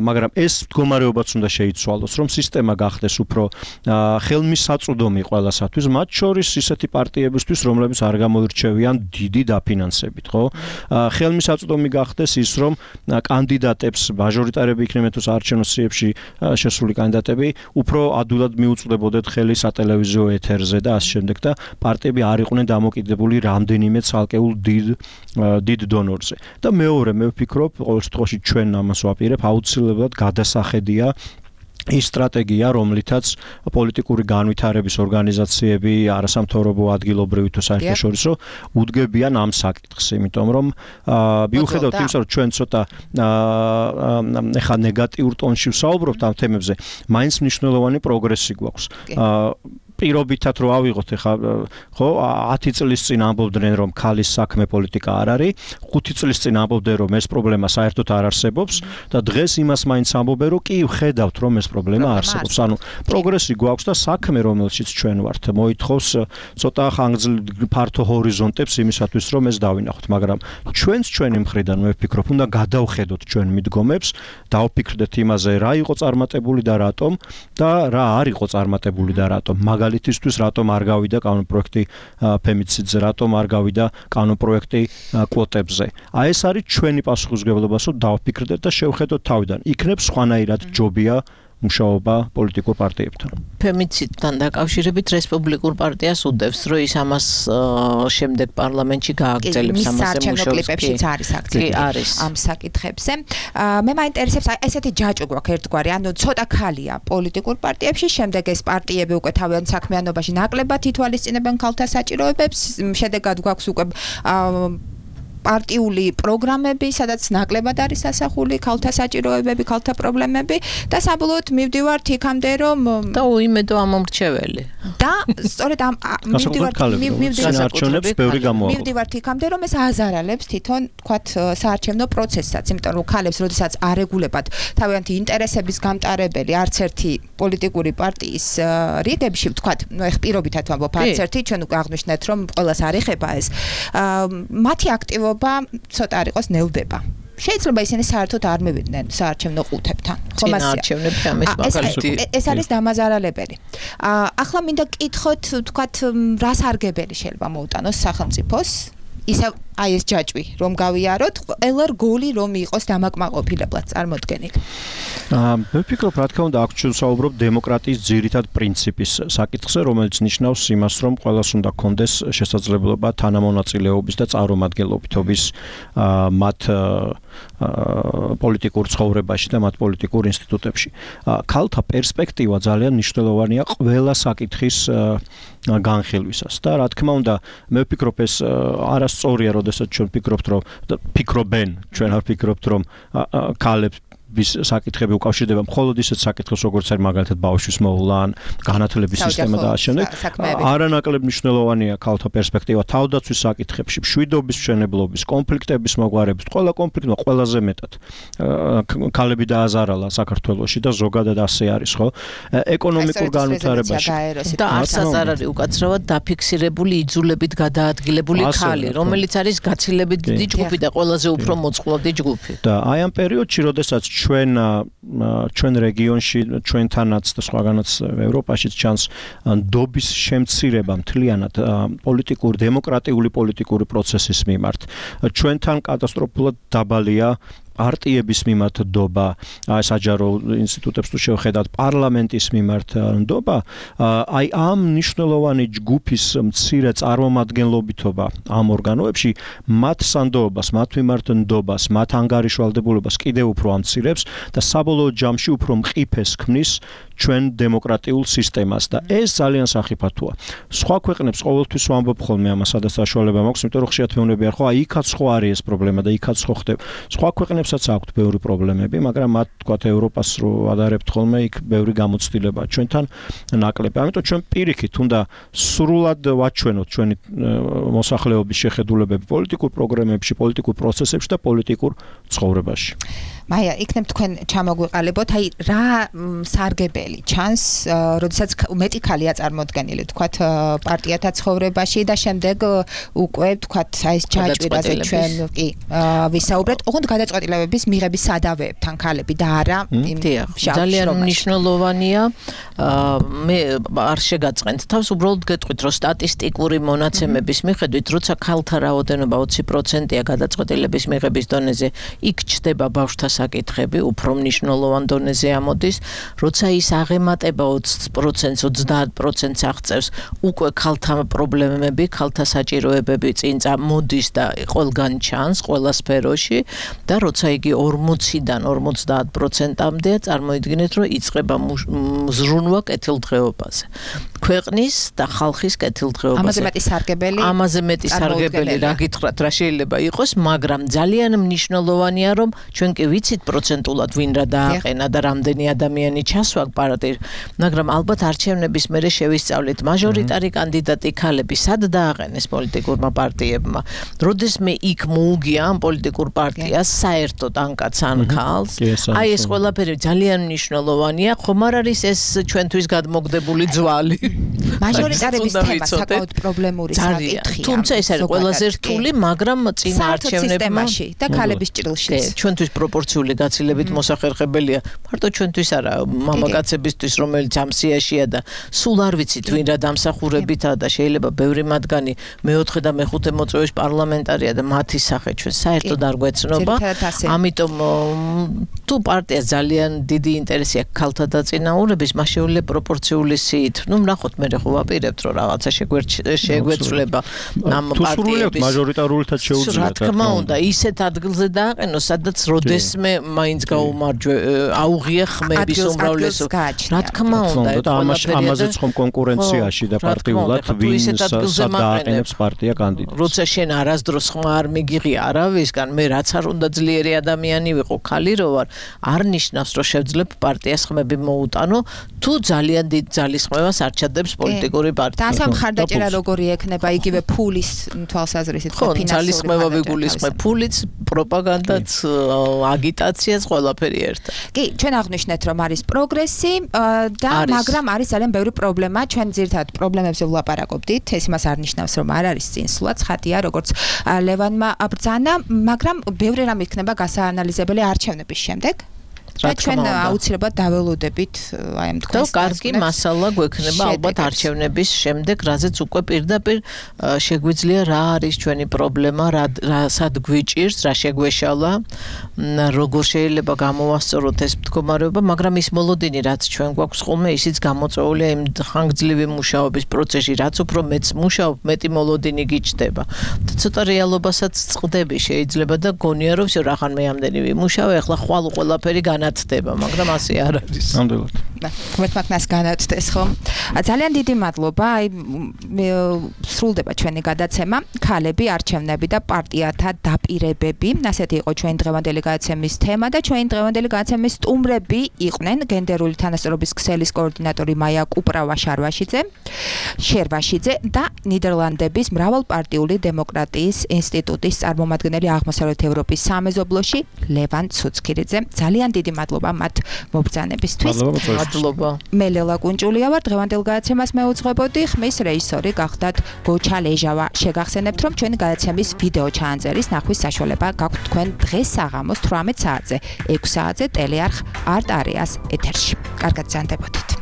მაგრამ ეს მდგომარეობაც უნდა შეიცვალოს, რომ სისტემა გახდეს უფრო ხელმისაწვდომი ყველასათვის, მათ შორის ისეთი პარტიებისთვის, რომლებიც არ გამოირჩევიან დიდი დაფინანსებით, ხო? ხელმისაწვდომი გახდეს ის, რომ კანდიდატებს მაჟორიტარები იქნებიან თუ საარჩევნო სიებში შესული კანდიდატები უფრო ადვილად მიუწვდებოდეთ ხელი სატელევიზიო ეთერზე და ასე შემდეგ და პარტიები არ იყვნენ დამოკიდებული რამდენიმე ცალკეულ დიდ დიდ დონორზე. და მეორე მე ვფიქრობ, ყოველ შემთხვევაში ჩვენ ამას ვაპირებ, აუცილებლად გადასახედია ის სტრატეგია, რომლითაც პოლიტიკური განვითარების ორგანიზაციები, არასამთავრობო ადგილობრივი თუ საერთაშორისო უდგებიან ამ საკითხს, იმიტომ რომ მიუხედავად იმისა, რომ ჩვენ ცოტა ეხა ნეგატიურ ტონში ვსაუბრობთ ამ თემებზე, მაინც მნიშვნელოვანი პროგრესი გვაქვს. პირობითად რო ავიღოთ ეხა ხო ათი წლის წინ ამბობდნენ რომ ქალის საქმე პოლიტიკა არ არის, ხუთი წლის წინ ამბობდნენ რომ ეს პრობლემა საერთოდ არ არსებობს და დღეს იმას მაინც ამბობენ რომ კი ვხედავთ რომ ეს პრობლემა არსებობს. ანუ პროგრესი გვაქვს და საქმე რომელშიც ჩვენ ვართ მოითხოვს ცოტა ხანგრძლივ ფართო ჰორიზონტებს იმისათვის რომ ეს დავინახოთ, მაგრამ ჩვენც ჩვენი მხრიდან მე ვფიქრობ უნდა გადავხედოთ ჩვენ მიდგომებს, დავფიქრდეთ იმაზე რა იყო წარმატებული და რატომ და რა არ იყო წარმატებული და რატომ. მაგალითისთვის რატომ არ გავიდა კანონპროექტი ფემიციდზე, რატომ არ გავიდა კანონპროექტი კვოტებზე. აი ეს არის ჩვენი პასუხისმგებლობა, რომ დავფიქრდეთ და შევხედოთ თავიდან. იქნებ სხვანაირად ჯობია მუშაობა პოლიტიკურ პარტიებთან. ფემიციდთან დაკავშირებით რესპუბლიკურ პარტიას უდევს, რომ ის ამას შემდეგ პარლამენტში გააგრძელებს ამაზე მუშაობს. კლიპებშიც არის აქცენტი ამ საკითხებზე. მე მაინტერესებს ესეთი ჯაჭვი გვაქვს ერთგვარი, ანუ ცოტა ქალია პოლიტიკურ პარტიებში, შემდეგ ეს პარტიები უკვე თავიანთ საქმიანობაში ნაკლებად ითვალისწინებენ ქალთა საჭიროებებს, შედეგად გვაქვს უკვე პარტიული პროგრამები, სადაც ნაკლებად არის ასახული ქალთა საჭიროებები, ქალთა პრობლემები და საბოლოოდ მივდივართ იქამდე, რომ და უიმედო ამომრჩეველი. და სწორედ ამ მივდივართ მივდივართ იქამდე, რომ ეს აზარალებს თვითონ, თქვათ, საარჩევნო პროცესსაც, იმიტომ რომ ქალებს, როდესაც არეგულებად თავიანთი ინტერესების გამტარებელი არც ერთი პოლიტიკური პარტიის რიგებში, თქვათ, ნუ ეხ პირობითად ვამბობ, არც ერთი, ჩვენ უკვე აღნიშნეთ, რომ ყველას არ ეხება ეს. მათი აქტივობა ცოტა არ იყოს ნელდება. შეიძლება ისინი საერთოდ არ მივიდნენ საარჩევნო ყუთებთან. ეს არის დამაზარალებელი. ახლა მინდა გკითხოთ, თქვათ, რას არგებელი შეიძლება მოუტანოს სახელმწიფოს? ისევ აი ეს ჯაჭვი რომ გავიაროთ, ყველა რგოლი რომ იყოს დამაკმაყოფილებლად წარმოდგენილი. მე ვფიქრობ, რა თქმა უნდა, აქ ჩვენ ვსაუბრობთ დემოკრატიის ძირითად პრინციპის საკითხზე, რომელიც ნიშნავს იმას, რომ ყველას უნდა კონდეს შესაძლებლობა თანამონაწილეობის და წარმომადგენლობითობის მათ პოლიტიკურ ცხოვრებაში და მათ პოლიტიკურ ინსტიტუტებში. ქალთა პერსპექტივა ძალიან მნიშვნელოვანია ყველა საკითხის განხილვისას და რა თქმა უნდა, მე ვფიქრობ ეს არასწორია, როდესაც ჩვენ ვფიქრობთ, რომ ფიქრობენ, ჩვენ არ ვფიქრობთ, რომ ქალებს საკითხები უკავშირდება მხოლოდ ისეთ საკითხებს, როგორც არის მაგალითად ბავშვის მოვლა, განათლების სისტემა და ასე შემდეგ. არანაკლებ მნიშვნელოვანია ქალთა პერსპექტივა თავდაცვის საკითხებში, მშვიდობის მშენებლობის, კონფლიქტების მოგვარებით, ყველა კონფლიქტმა ყველაზე მეტად ქალები დააზარალა საქართველოში და ზოგადად ასე არის, ხო? ეკონომიკურ განვითარებაში. და არცაც არ არის უკაცრავად დაფიქსირებული იძულებით გადაადგილებული ქალი, რომელიც არის გაცილებით დიდი ჯგუფი და ყველაზე უფრო მოწყვლადი ჯგუფი. და აი ამ პერიოდში, როდესაც ჩვენ ჩვენ რეგიონში, ჩვენთანაც და სხვაგანაც ევროპაშიც ჩანს ნდობის შემცირება მთლიანად პოლიტიკური, დემოკრატიული პოლიტიკური პროცესის მიმართ. ჩვენთან კატასტროფულად დაბალია პარტიების მიმართ ნდობა, აი საჯარო ინსტიტუტებს თუ შევხედათ, პარლამენტის მიმართ ნდობა, აი ამ მნიშვნელოვანი ჯგუფის მცირე წარმომადგენლობითობა ამ ორგანოებში მათ სანდოობას, მათ მიმართ ნდობას, მათ ანგარიშვალდებულებას კიდევ უფრო ამცირებს და საბოლოო ჯამში უფრო მყიფეს ქმნის ჩვენ დემოკრატიულ სისტემას და ეს ძალიან სახიფათოა. სხვა ქვეყნებს ყოველთვის ვამბობ ხოლმე ამას, სადაც საშუალება მაქვს, იმიტომ რომ ხშირად მეუბნები არ ხო, აი იქაც ხო არის ეს პრობლემა და იქაც ხო ხდება. სხვა ქვეყნებსაც აქვთ ბევრი პრობლემები, მაგრამ მათ თქვათ ევროპას რო ადარებთ ხოლმე, იქ ბევრი გამოცდილებაა ჩვენთან ნაკლები. ამიტომ ჩვენ პირიქით უნდა სრულად ვაჩვენოთ ჩვენი მოსახლეობის შეხედულებები პოლიტიკურ პროგრამებში, პოლიტიკურ პროცესებში და პოლიტიკურ ცხოვრებაში. მაია, იქნებ თქვენ ჩამოგვიყალიბოთ, აი რა სარგებელი ჩანს, როდესაც მეტი ქალია წარმოდგენილი, თქვათ პარტიათა ცხოვრებაში და შემდეგ უკვე თქვათ აი ეს ჯაჭვირაზე ჩვენ კი ვისაუბრეთ, ოღონდ გადაწყვეტილებების მიღების სადავეებთან ქალები და არა იმ ძალიან მნიშვნელოვანია. მე არ შეგაწყენთ თავს, უბრალოდ გეტყვით, რომ სტატისტიკური მონაცემების მიხედვით, როცა ქალთა რაოდენობა ოცი პროცენტია გადაწყვეტილების მიღების დონეზე, იქ ჩდება ბავშვთა საკითხები, უფრო მნიშვნელოვან დონეზე ამოდის, როცა ის აღემატება ოცი პროცენტს, ოცდაათ პროცენტს აღწევს, უკვე ქალთა პრობლემები, ქალთა საჭიროებები წინ წამოდის და ყველგან ჩანს, ყველა სფეროში და როცა იგი ორმოციდან ორმოცდაათ პროცენტამდეა, წარმოიდგინეთ, რომ იწყება მზრუნვა კეთილდღეობაზე. ქვეყნის და ხალხის კეთილდღეობაზე. ამაზე მეტი სარგებელი? ამაზე მეტი სარგებელი რა გითხრათ, რა შეიძლება იყოს, მაგრამ ძალიან მნიშვნელოვანია, რომ ჩვენ კი ვიცით პროცენტულად ვინ რა დააყენა და რამდენი ადამიანი ჩასვა პარტიით, მაგრამ ალბათ არჩევნების მერე შევისწავლეთ მაჟორიტარი კანდიდატი ქალები სად დააყენეს პოლიტიკურმა პარტიებმა. როდესმე იქ მოუგია ამ პოლიტიკურ პარტიას საერთოდ ან კაც ან ქალს, აი ეს ყველაფერი ძალიან მნიშვნელოვანია, ხომ არ არის ეს ჩვენთვის გადმოგდებული ძვალი? მაჟორიტარების თემა საკმაოდ პრობლემური საკითხია. თუმცა ეს არის ყველაზე რთული, მაგრამ წინა არჩევნებმა და ქალების ჭრილშიც. ჩვენთვის პროპორციული გაცილებით მოსახერხებელია. მარტო ჩვენთვის არა, მამაკაცებისთვის, რომელიც ამ სიაშია და სულ არ ვიცით ვინ რა დამსახურებითაა და შეიძლება ბევრი მათგანი მეოთხე და მეხუთე მოწვევაში პარლამენტარია და მათი სახე ჩვენ საერთოდ არ გვეცნობა. ამიტომ თუ პარტიას ძალიან დიდი ინტერესი აქვს ქალთა დაწინაურების, მას შეუძლია პროპორციული სიით. ნუ ნახოთ, მე ხო ვაპირებთ, რომ რაღაცა შეგვეცვლება ამ პარტიების მაჟორიტარულითაც შეუძლია. რა თქმა უნდა, ისეთ ადგილზე დააყენოს, სადაც როდესმე მაინც გაუმარჯვე აუღია ხმების უმრავლესობა. რა თქმა უნდა, ამაზეც ხომ კონკურენციაში და პარტიულად ვინ დააყენებს პარტია კანდიდატს. როცა შენ არასდროს ხმა არ მიგიღია არავისგან, მე რაც არ უნდა ძლიერი ადამიანი ვიყო, ქალი რო ვარ, არ ნიშნავს, რომ შევძლებ პარტიას ხმები მოუტანო, თუ ძალიან დიდ ძალისხმევას არ ჩადებს პოლიტიკური პარტია. და ამ ხარდაჭერა როგორი ექნება, იგივე ფულის თვალსაზრისით და ფინანსური ძალისხმევა ვიგულისხმებ, ფულიც, პროპაგანდაც, აგიტაციაც, ყველაფერი ერთად. კი, ჩვენ აღნიშნეთ, რომ არის პროგრესი და მაგრამ არის ძალიან ბევრი პრობლემა. ჩვენ ძირითადად პრობლემებზე ვლაპარაკობდით. ეს იმას არ ნიშნავს, რომ არ არის წინსვლაც, ხათია, როგორც ლევანმა ბრძანა, მაგრამ ბევრი რამ იქნება გასაანალიზებელი არჩევნების შემდეგ. და ჩვენ აუცილებლად დაველოდებით აი ამ თქვენს და კარგი მასალა გვექნება ალბათ არჩევნების შემდეგ, რაზეც უკვე პირდაპირ შეგვიძლია რა არის ჩვენი პრობლემა, რა სად გვიჭირს, რა შეგვეშალა, როგორ შეიძლება გამოვასწოროთ ეს მდგომარეობა, მაგრამ ის მოლოდინი, რაც ჩვენ გვაქვს ხოლმე, ისიც გამოწვეულია იმ ხანგრძლივი მუშაობის პროცესში, რაც უფრო მეც მუშაობ, მეტი მოლოდინი გიჩნდება. და ცოტა რეალობასაც წყდები შეიძლება და გონია რომ всё რახან მე ამდენი ვიმუშავე, ახლა ხვალ ყველაფერი განათდება, მაგრამ ასე არ არის. ნამდვილად. მოთმაკნას განათდეს ხო? ძალიან დიდი მადლობა. აი სრულდება ჩვენი გადაცემა, ქალები, არჩევნები და პარტიათა დაპირებები. ასეთი იყო ჩვენი დღევანდელი გადაცემის თემა და ჩვენი დღევანდელი გადაცემის სტუმრები იყვნენ გენდერული თანასწორობის ქსელის კოორდინატორი მაია კუპრავა-შარვაშიძე, შერვაშიძე და ნიდერლანდების მრავალპარტიული დემოკრატიის ინსტიტუტის წარმომადგენელი აღმოსავლეთ ევროპის სამეზობლოში ლევან ცუცქირიძე. ძალიან დიდი მადლობა მათ მობრძანებისთვის. მადლობა. მე ლელა კუნჭულია ვარ, დღევანდელ გადაცემას მეუძღვებოდი, ხმის რეჟისორი გახდათ გოჩა ლეჟავა. შეგახსენებთ, რომ ჩვენი გადაცემის ვიდეო ჩაანწერის ნახვის საშუალება გაქვთ თქვენ დღეს საღამოს თვრამეტ საათზე, ექვს საათზე ტელეარხ არტ არეას ეთერში. კარგად ზანდებოდით.